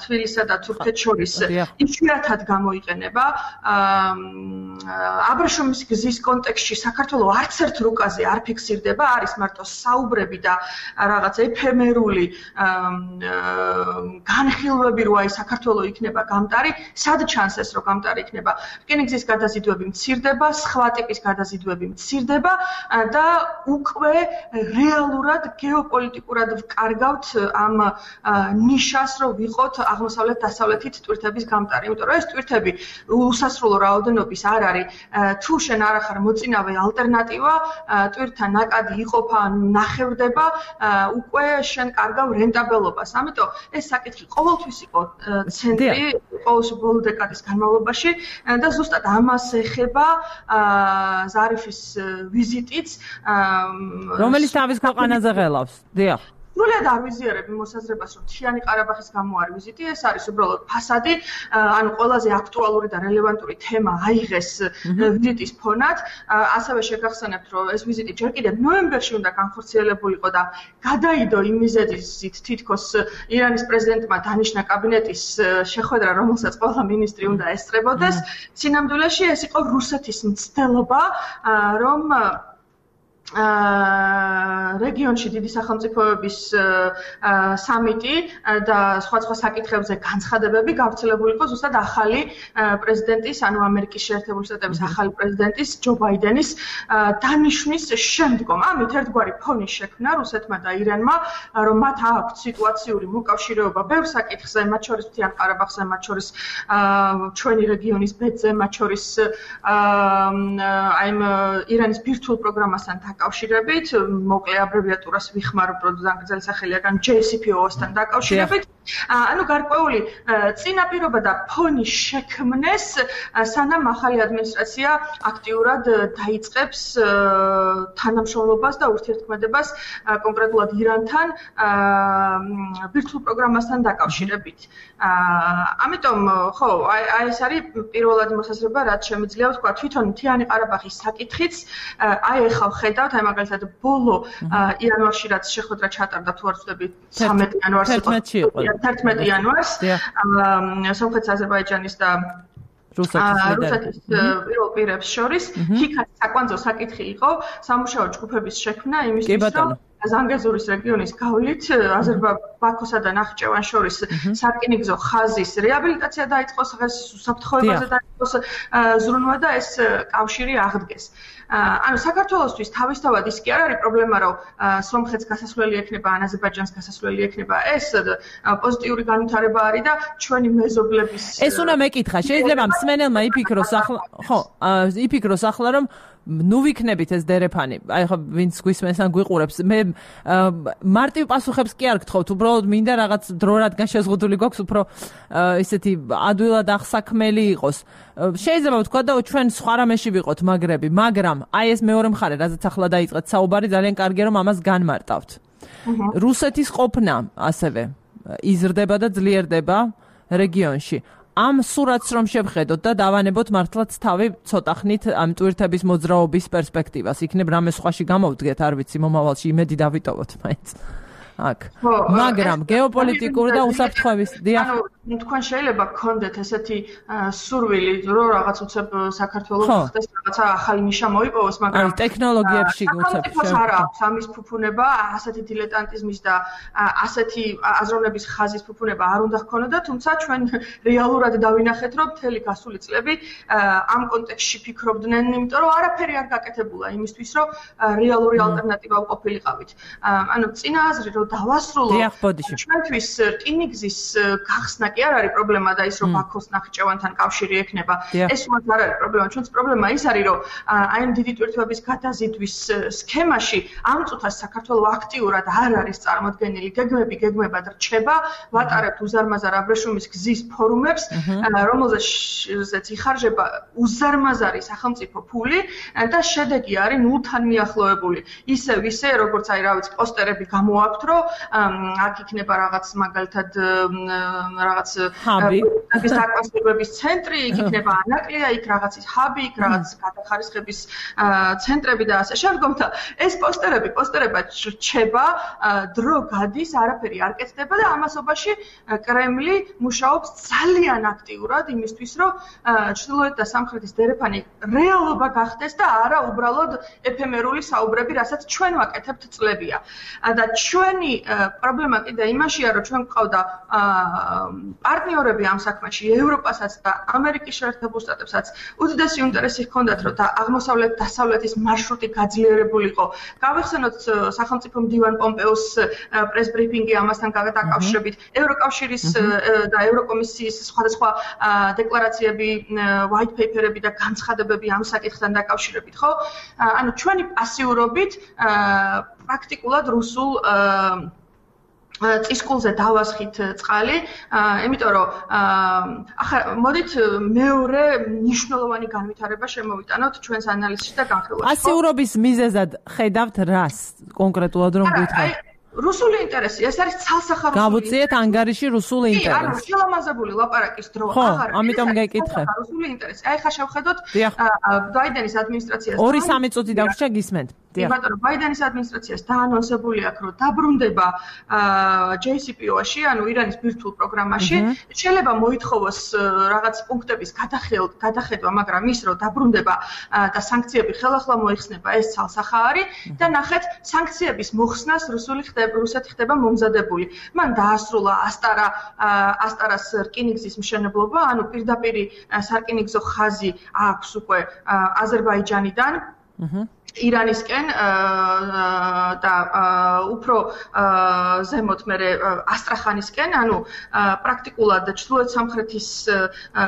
თბილისსა და თურქეთს შორის, იშვიათად გამოიყენება. აბრეშუმის გზის კონტექსტში საქართველოს არც ერთ რუკაზე არ ფიქსირდება, არის მარტო საუბრები და რაღაც ეფემერული განხილვები, რომ აი საქართველოს იქნება გამტარი, სად ჩანს ეს, რომ გამტარი იქნება? რკინიგზის გადაზიდვები მცირდება, სხვა ტიპის გადაზიდვები მცირდება და უკვე რეალურად გეოპოლიტიკურად ვკარგავთ ამ ნიშას, რომ ვიყოთ აღმოსავლეთ-დასავლეთით ტვირთების გამტარი. იმიტომ რომ ეს ტვირთები უსასრულო რაოდენობის არ არის. თუ შენ არ ახარ მოწინავე ალტერნატივა, ტვირთა ნაკადი იყოფა, ნახევდება, უკვე შენ კარგავ რენტაბელობას. ამიტომ ეს საკითხი ყოველთვის იყო ცენტრი ყოველში ბოლო დეკადის განმავლობაში და ზუსტად ამას ეხება ზარიფის ვიზიტიც, რომელიც თავის ქვეყანაზე ღელავს. დიახ. სრულად არ ვიზიარებ მოსაზრებას, რომ მთიანი ყარაბაღის გამო არ ვიზიტი, ეს არის უბრალოდ ფასადი, ანუ ყველაზე აქტუალური და რელევანტური თემა აიღეს ვიზიტის ფონად. ასევე შეგახსენებთ, რომ ეს ვიზიტი ჯერ კიდევ ნოემბერში უნდა განხორციელებულიყო და გადაიდო იმ მიზეზით თითქოს ირანის პრეზიდენტმა დანიშნა კაბინეტის შეხვედრა, რომელსაც ყველა მინისტრი უნდა ესწრებოდეს. სინამდვილეში ეს იყო რუსეთის მცდელობა, რომ რეგიონში დიდი სახელმწიფოების სამიტი და სხვა საკითხებზე განცხადებები გავრცელებულიყო ზუსტად ახალი პრეზიდენტის, ანუ ამერიკის შეერთებული შტატების ახალი პრეზიდენტის ჯო ბაიდენის დანიშვნის შემდგომ. ამით ერთგვარი ფონი შექმნა რუსეთმა და ირანმა, რომ მათ აქვთ სიტუაციური მოკავშირეობა ბევრ საკითხზე, მათ შორის მთიან ყარაბაღზე, მათ შორის ჩვენი რეგიონის ბედზე, მათ შორის აი ირანის ბირთვულ პროგრამასთან კავშირებით, მოკლე აბრევიატურას ვიხმარობ, რომ ზანგრძელი სახელია გან JCPOA-სთან დაკავშირებით. ანუ გარკვეული წინაპირობა და ფონი შექმნეს, სანამ ახალი ადმინისტრაცია აქტიურად დაიწყებს თანამშრომლობას და ურთიერთქმედებას კონკრეტულად ირანთან ბირთვულ პროგრამასთან დაკავშირებით. ამიტომ, ხო, აი ეს არის პირველადი მოსაზრება, რაც შემიძლია ვთქვა, თვითონ მთიანი ყარაბაღის საკითხიც, აი ახლა ვხედავთ, აი მაგალითად ბოლო იანვარში რაც შეხვედრა ჩატარდა, თუ არ ვცდები 13 იანვარს იყო. 11 იანვარს სომხეთის, აზერბაიჯანის და რუსეთის პირველ პირებს შორის ჰიქაც საკვანძო საკითხი იყო სამუშაო ჯგუფების შექმნა იმისთვის, რომ ზანგეზურის რეგიონის გავლით ბაქოსა და ნახიჩევანს შორის სარკინიგზო ხაზის რეაბილიტაცია დაიწყოს, უსაფრთხოებაზე დაიწყოს ზრუნვა და ეს კავშირი აღდგეს. ანუ საქართველოსთვის თავისთავად ის კი არ არის პრობლემა, რომ სომხეთს გასასვლელი ექნება, ან აზერბაიჯანს გასასვლელი ექნება. ეს პოზიტიური განვითარება არის და ჩვენი მეზობლების ეს უნდა მეკითხა. შეიძლება მსმენელმა იფიქროს ახლა, რომ ნუ ვიქნებით ეს დერეფანი. აი ხო ვინც გვისმენს ან გვიყურებს, მე მარტივ პასუხებს კი არ გთხოვთ, უბრალოდ მინდა რაღაც დრო რადგან შეზღუდული გვაქვს, უფრო ესეთი ადვილად აღსაქმელი იყოს. შეიძლება ვთქვა და ჩვენ სხვა რამეში ვიყოთ მაგრები, მაგრამ აი ეს მეორე მხარე, რაზეც ახლა დაიწყეთ საუბარი, ძალიან კარგია რომ ამას განმარტავთ. რუსეთის ყოფნა ასევე იზრდება და ძლიერდება რეგიონში. ამ სურათს რომ შევხედოთ და დავანებოთ მართლაც თავი ცოტა ხნით ამ ტვირთების მოძრაობის პერსპექტივას. იქნებ რამე სხვაში გამოვდგეთ, არ ვიცი, მომავალში იმედი დავიტოვოთ მაინც. აქ. მაგრამ გეოპოლიტიკური და უსაფრთხოების დიახ. ანუ თქვენ შეიძლება გქონდეთ ესეთი სურვილი, რომ რაღაც უცებ საქართველოს ხდეს რაღაცა ახალი ნიშა მოიპოვოს, მაგრამ ტექნოლოგიებში უცებ არა აქვს ამის ფუფუნება, ასეთი დილეტანტიზმის და ასეთი აზროვნების ხაზის ფუფუნება არ უნდა ჰქონოდა, თუმცა ჩვენ რეალურად დავინახეთ, რომ მთელი გასული წლები ამ კონტექსტში ფიქრობდნენ, იმიტომ რომ არაფერი არ გაკეთებულა იმისთვის, რომ რეალური ალტერნატივა ვყოფილიყავით. ანუ წინა აზრი რომ დავასრულო ჩვენთვის რკინიგზის გახსნა კი არ არის პრობლემა და ის რომ ბაქოს ნახიჩევანთან კავშირი ექნება. ეს უბრალოდ არ არის პრობლემა. ჩვენს პრობლემა ის არის რომ აი ამ დიდი ტვირთების გადაზიდვის სქემაში ამ წუთას საქართველოს აქტიურად არ არის წარმოდგენილი. გეგმებად რჩება, ვატარებთ უზარმაზარ აბრეშუმის გზის ფორუმებს, რომელზეც იხარჯება უზარმაზარი სახელმწიფო ფული და შედეგი არის ნულთან მიახლოებული. ისევ ისე როგორც აი რა ვიცი პოსტერები გამოაქვთ, რომ აქ იქნება რაღაც მაგალითად რაღაც საკონსერვების ცენტრი, იქ იქნება ანაკლია, იქ რაღაც ის ჰაბი, იქ რაღაც გადახარისხების ცენტრები და ასე შემდგომ და ეს პოსტერებად რჩება, დრო გადის, არაფერი არ კეთდება და ამასობაში კრემლი მუშაობს ძალიან აქტიურად იმისთვის, რომ ჩრდილოეთ და სამხრეთის დერეფანი რეალობა გახდეს და არა უბრალოდ ეფემერული საუბრები, რასაც ჩვენ ვაკეთებთ წლებია. და ჩვენი პრობლემა კიდე იმაშია, რომ ჩვენ გვყავდა პარტნიორები ამ საქმეში, ევროპასაც და ამერიკის შეერთებულ შტატებსაც უდიდესი ინტერესი ჰქონდათ, რომ დასავლეთის მარშრუტი გაძლიერებულიყო. გავიხსენოთ სახელმწიფო მდივან პომპეოს პრეს ბრიფინგი ამასთან დაკავშირებით, ევროკავშირის და ევროკომისიის სხვადასხვა დეკლარაციები, white paper-ები და განცხადებები ამ საკითხთან დაკავშირებით, ხო? ანუ ჩვენი პასიურობით პრაქტიკულად რუსულ წისკულზე დავასხით წყალი, იმიტომ რომ ახლა მოდით მეორე მნიშვნელოვანი განვითარება შემოვიტანოთ ჩვენს ანალიზში და განხილვაში. პასიურობის მიზეზად ხედავთ რას კონკრეტულად რომ გითხრათ? რუსული ინტერესი, ეს არის ცალსახარული. გავუწიეთ ანგარიში რუსული ინტერესი. ანუ შელამაზებული ლაპარაკის დრო აღარ. ამიტომ გეკითხე. რუსული ინტერესი. აი ხა შევხედოთ ბაიდენის ადმინისტრაციას. 2-3 წუთი დაგვრჩა გისმენთ. ბატონო, ბაიდენის ადმინისტრაციას დაანონსებული აქვს, რომ დაბრუნდება JCPOA-ში, ანუ ირანის ბირთვულ პროგრამაში, შეიძლება მოითხოვოს რაღაც პუნქტების გადახედვა, მაგრამ ის რომ დაბრუნდება და სანქციები ხელახლა მოიხსნება, ეს ცალსახა არის და ნახეთ, სანქციების მოხსნას რუსეთი ხდება მომზადებული. მან დაასრულა ასტარას რკინიგზის მშენებლობა, ანუ პირდაპირი სარკინიგზო ხაზი აქვს უკვე აზერბაიჯანიდან. ირანისკენ და უფრო ზემოთ მერე ასტრახანისკენ, ანუ პრაქტიკულად ჩრდილოეთ სამხრეთის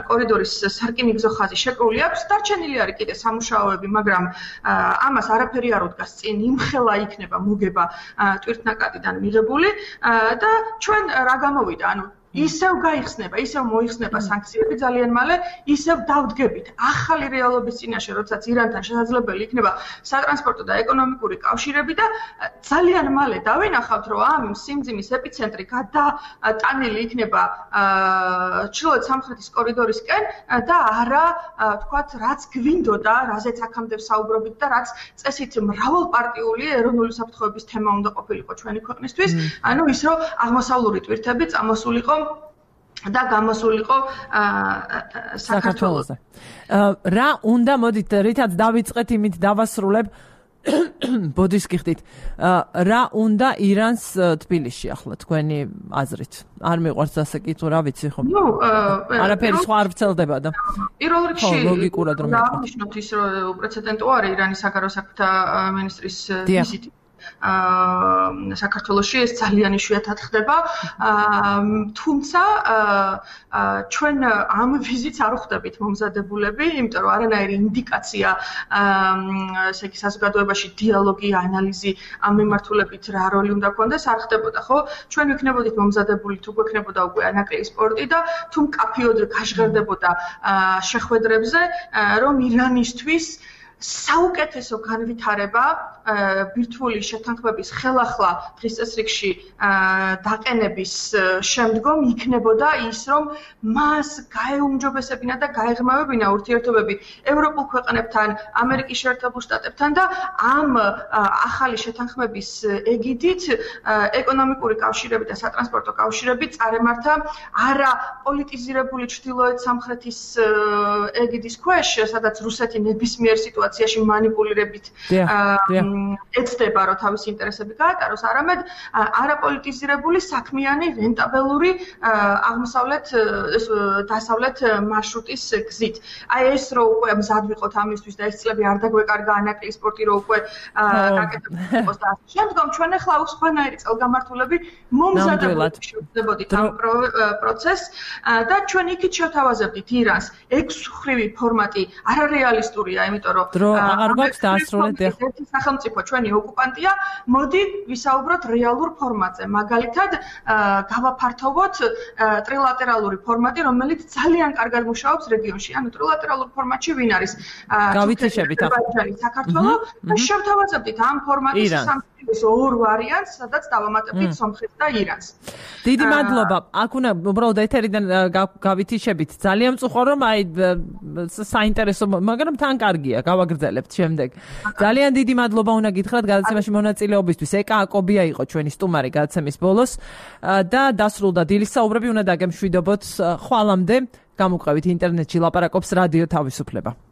კორიდორის სარკინიგზო ხაზი შეკრული აქვს. დარჩენილი არის კიდე სამუშაოები, მაგრამ ამას არაფერი არ უდგას წინ, იმხელა იქნება მოგება ტვირთნაკადიდან მიღებული და ჩვენ რა გამოვიდა, ანუ ისევ გაიხსნება, ისევ მოიხსნება სანქციები ძალიან მალე, ისევ დავდგებით ახალი რეალობის წინაშე, როდესაც ირანთან შესაძლებელი იქნება სატრანსპორტო და ეკონომიკური კავშირები და ძალიან მალე დავინახავთ, რომ ამ სიმძიმის ეპიცენტრი გადატანილი იქნება ჩრდილოეთ სამხრეთის კორიდორისკენ და არა, თქვათ, რაც გვინდოდა, რაზეც აქამდე ვსაუბრობთ და რაც წესით მრავალპარტიული ეროვნული საფრთხეების თემა უნდა ყოფილიყო ჩვენი ქვეყნისთვის, ანუ ის რომ აღმოსავლური ტვირთები წამოსულიყო და გამოსულიყო საქართველოზე. რა უნდა მოდით რითაც დავიწყეთ იმით დავასრულებ ბოდის გიხდით. რა უნდა ირანს თბილისში ახლა თქვენი აზრით? არ მიყვარს ასე კითხვა, რა ვიცი ხომ? არაფერი სხვა არ ვრცელდება და პირველ რიგში ლოგიკურად რომ დავნიშნოთ ის რომ უპრეცედენტო არის ირანის საგარეო საქმეთა მინისტრის ვიზიტი საქართველოში, ეს ძალიან იშვიათად ხდება, თუმცა ჩვენ ამ ვიზიტს არ ვხვდებით მომზადებულები, იმიტომ რომ არანაირი ინდიკაცია ესე იგი საზოგადოებაში დიალოგი, ანალიზი ამ მიმართულებით რა როლი უნდა ქონდეს არ ხდებოდა, ხო? ჩვენ ვიქნებოდით მომზადებული, თუ გვექნებოდა უკვე ანაკლიის სპორტი და თუ მკაფიოდ გაჟღერდებოდა შეხვედრებზე, რომ ირანისთვის საუკეთესო განვითარება ბირთვული შეთანხმების ხელახლა დღის წესრიგში დაყენების შემდგომ იქნებოდა ის, რომ მას გაეუმჯობესებინა და გაეღრმავებინა ურთიერთობები ევროპულ ქვეყნებთან, ამერიკის შეერთებულ შტატებთან და ამ ახალი შეთანხმების ეგიდით ეკონომიკური კავშირები და სატრანსპორტო კავშირები წარემართა არა პოლიტიზირებული ჩრდილოეთ სამხრეთის ეგიდის ქვეშ, სადაც რუსეთი ნებისმიერ სიტუაციაში მანიპულირებით ეცდება, რომ თავისი ინტერესები გაატაროს, არამედ არაპოლიტიზირებული საქმიანი რენტაბელური დასავლეთ მარშრუტის გზით. აი ეს რო უკვე მზად ვიყოთ ამისთვის და ეს წლები არ დაგვეკარგა ანაკლის სპორტი რო უკვე გაკეთებული იყოს და შემდგომ ჩვენ ახლა სხვანაირი წელგამართულები მომზადებულად შევძლებოდით ამ პროცესს და ჩვენ იქით შევთავაზებდით ირანს 6-ხრივი ფორმატი არარეალისტურია, იმიტომ რომ აღარ გვაქვს დაასრულეთ ერთი სახელმწიფო ჩვენი ოკუპანტია, მოდი ვისაუბროთ რეალურ ფორმატზე. მაგალითად, გავაფართოვოთ ტრილატერალური ფორმატი, რომელიც ძალიან კარგად მუშაობს რეგიონში. ანუ ტრილატერალურ ფორმატში ვინ არის? გავითიშებით აზერბაიჯანი, საქართველო და შევთავაზებდით ამ ფორმატის სამწუხარო ორ ვარიანტს, სადაც დავამატებდით სომხეთს და ირანს. დიდი მადლობა. აქ უნდა უბრალოდ ეთერიდან გავითიშებით. ძალიან მწუხარ რომ აი საინტერესო, მაგრამ თან კარგია, გავაგრძელებთ შემდეგ. ძალიან დიდი მადლობა უნდა გითხრათ გადაცემაში მონაწილეობისთვის. ეკა აკობია იყო ჩვენი სტუმარი გადაცემის ბოლოს და დასრულდა დილის საუბრები, უნდა დაგემშვიდობოთ. ხვალამდე გამოყევით ინტერნეტში ლაპარაკობს რადიო თავისუფლება.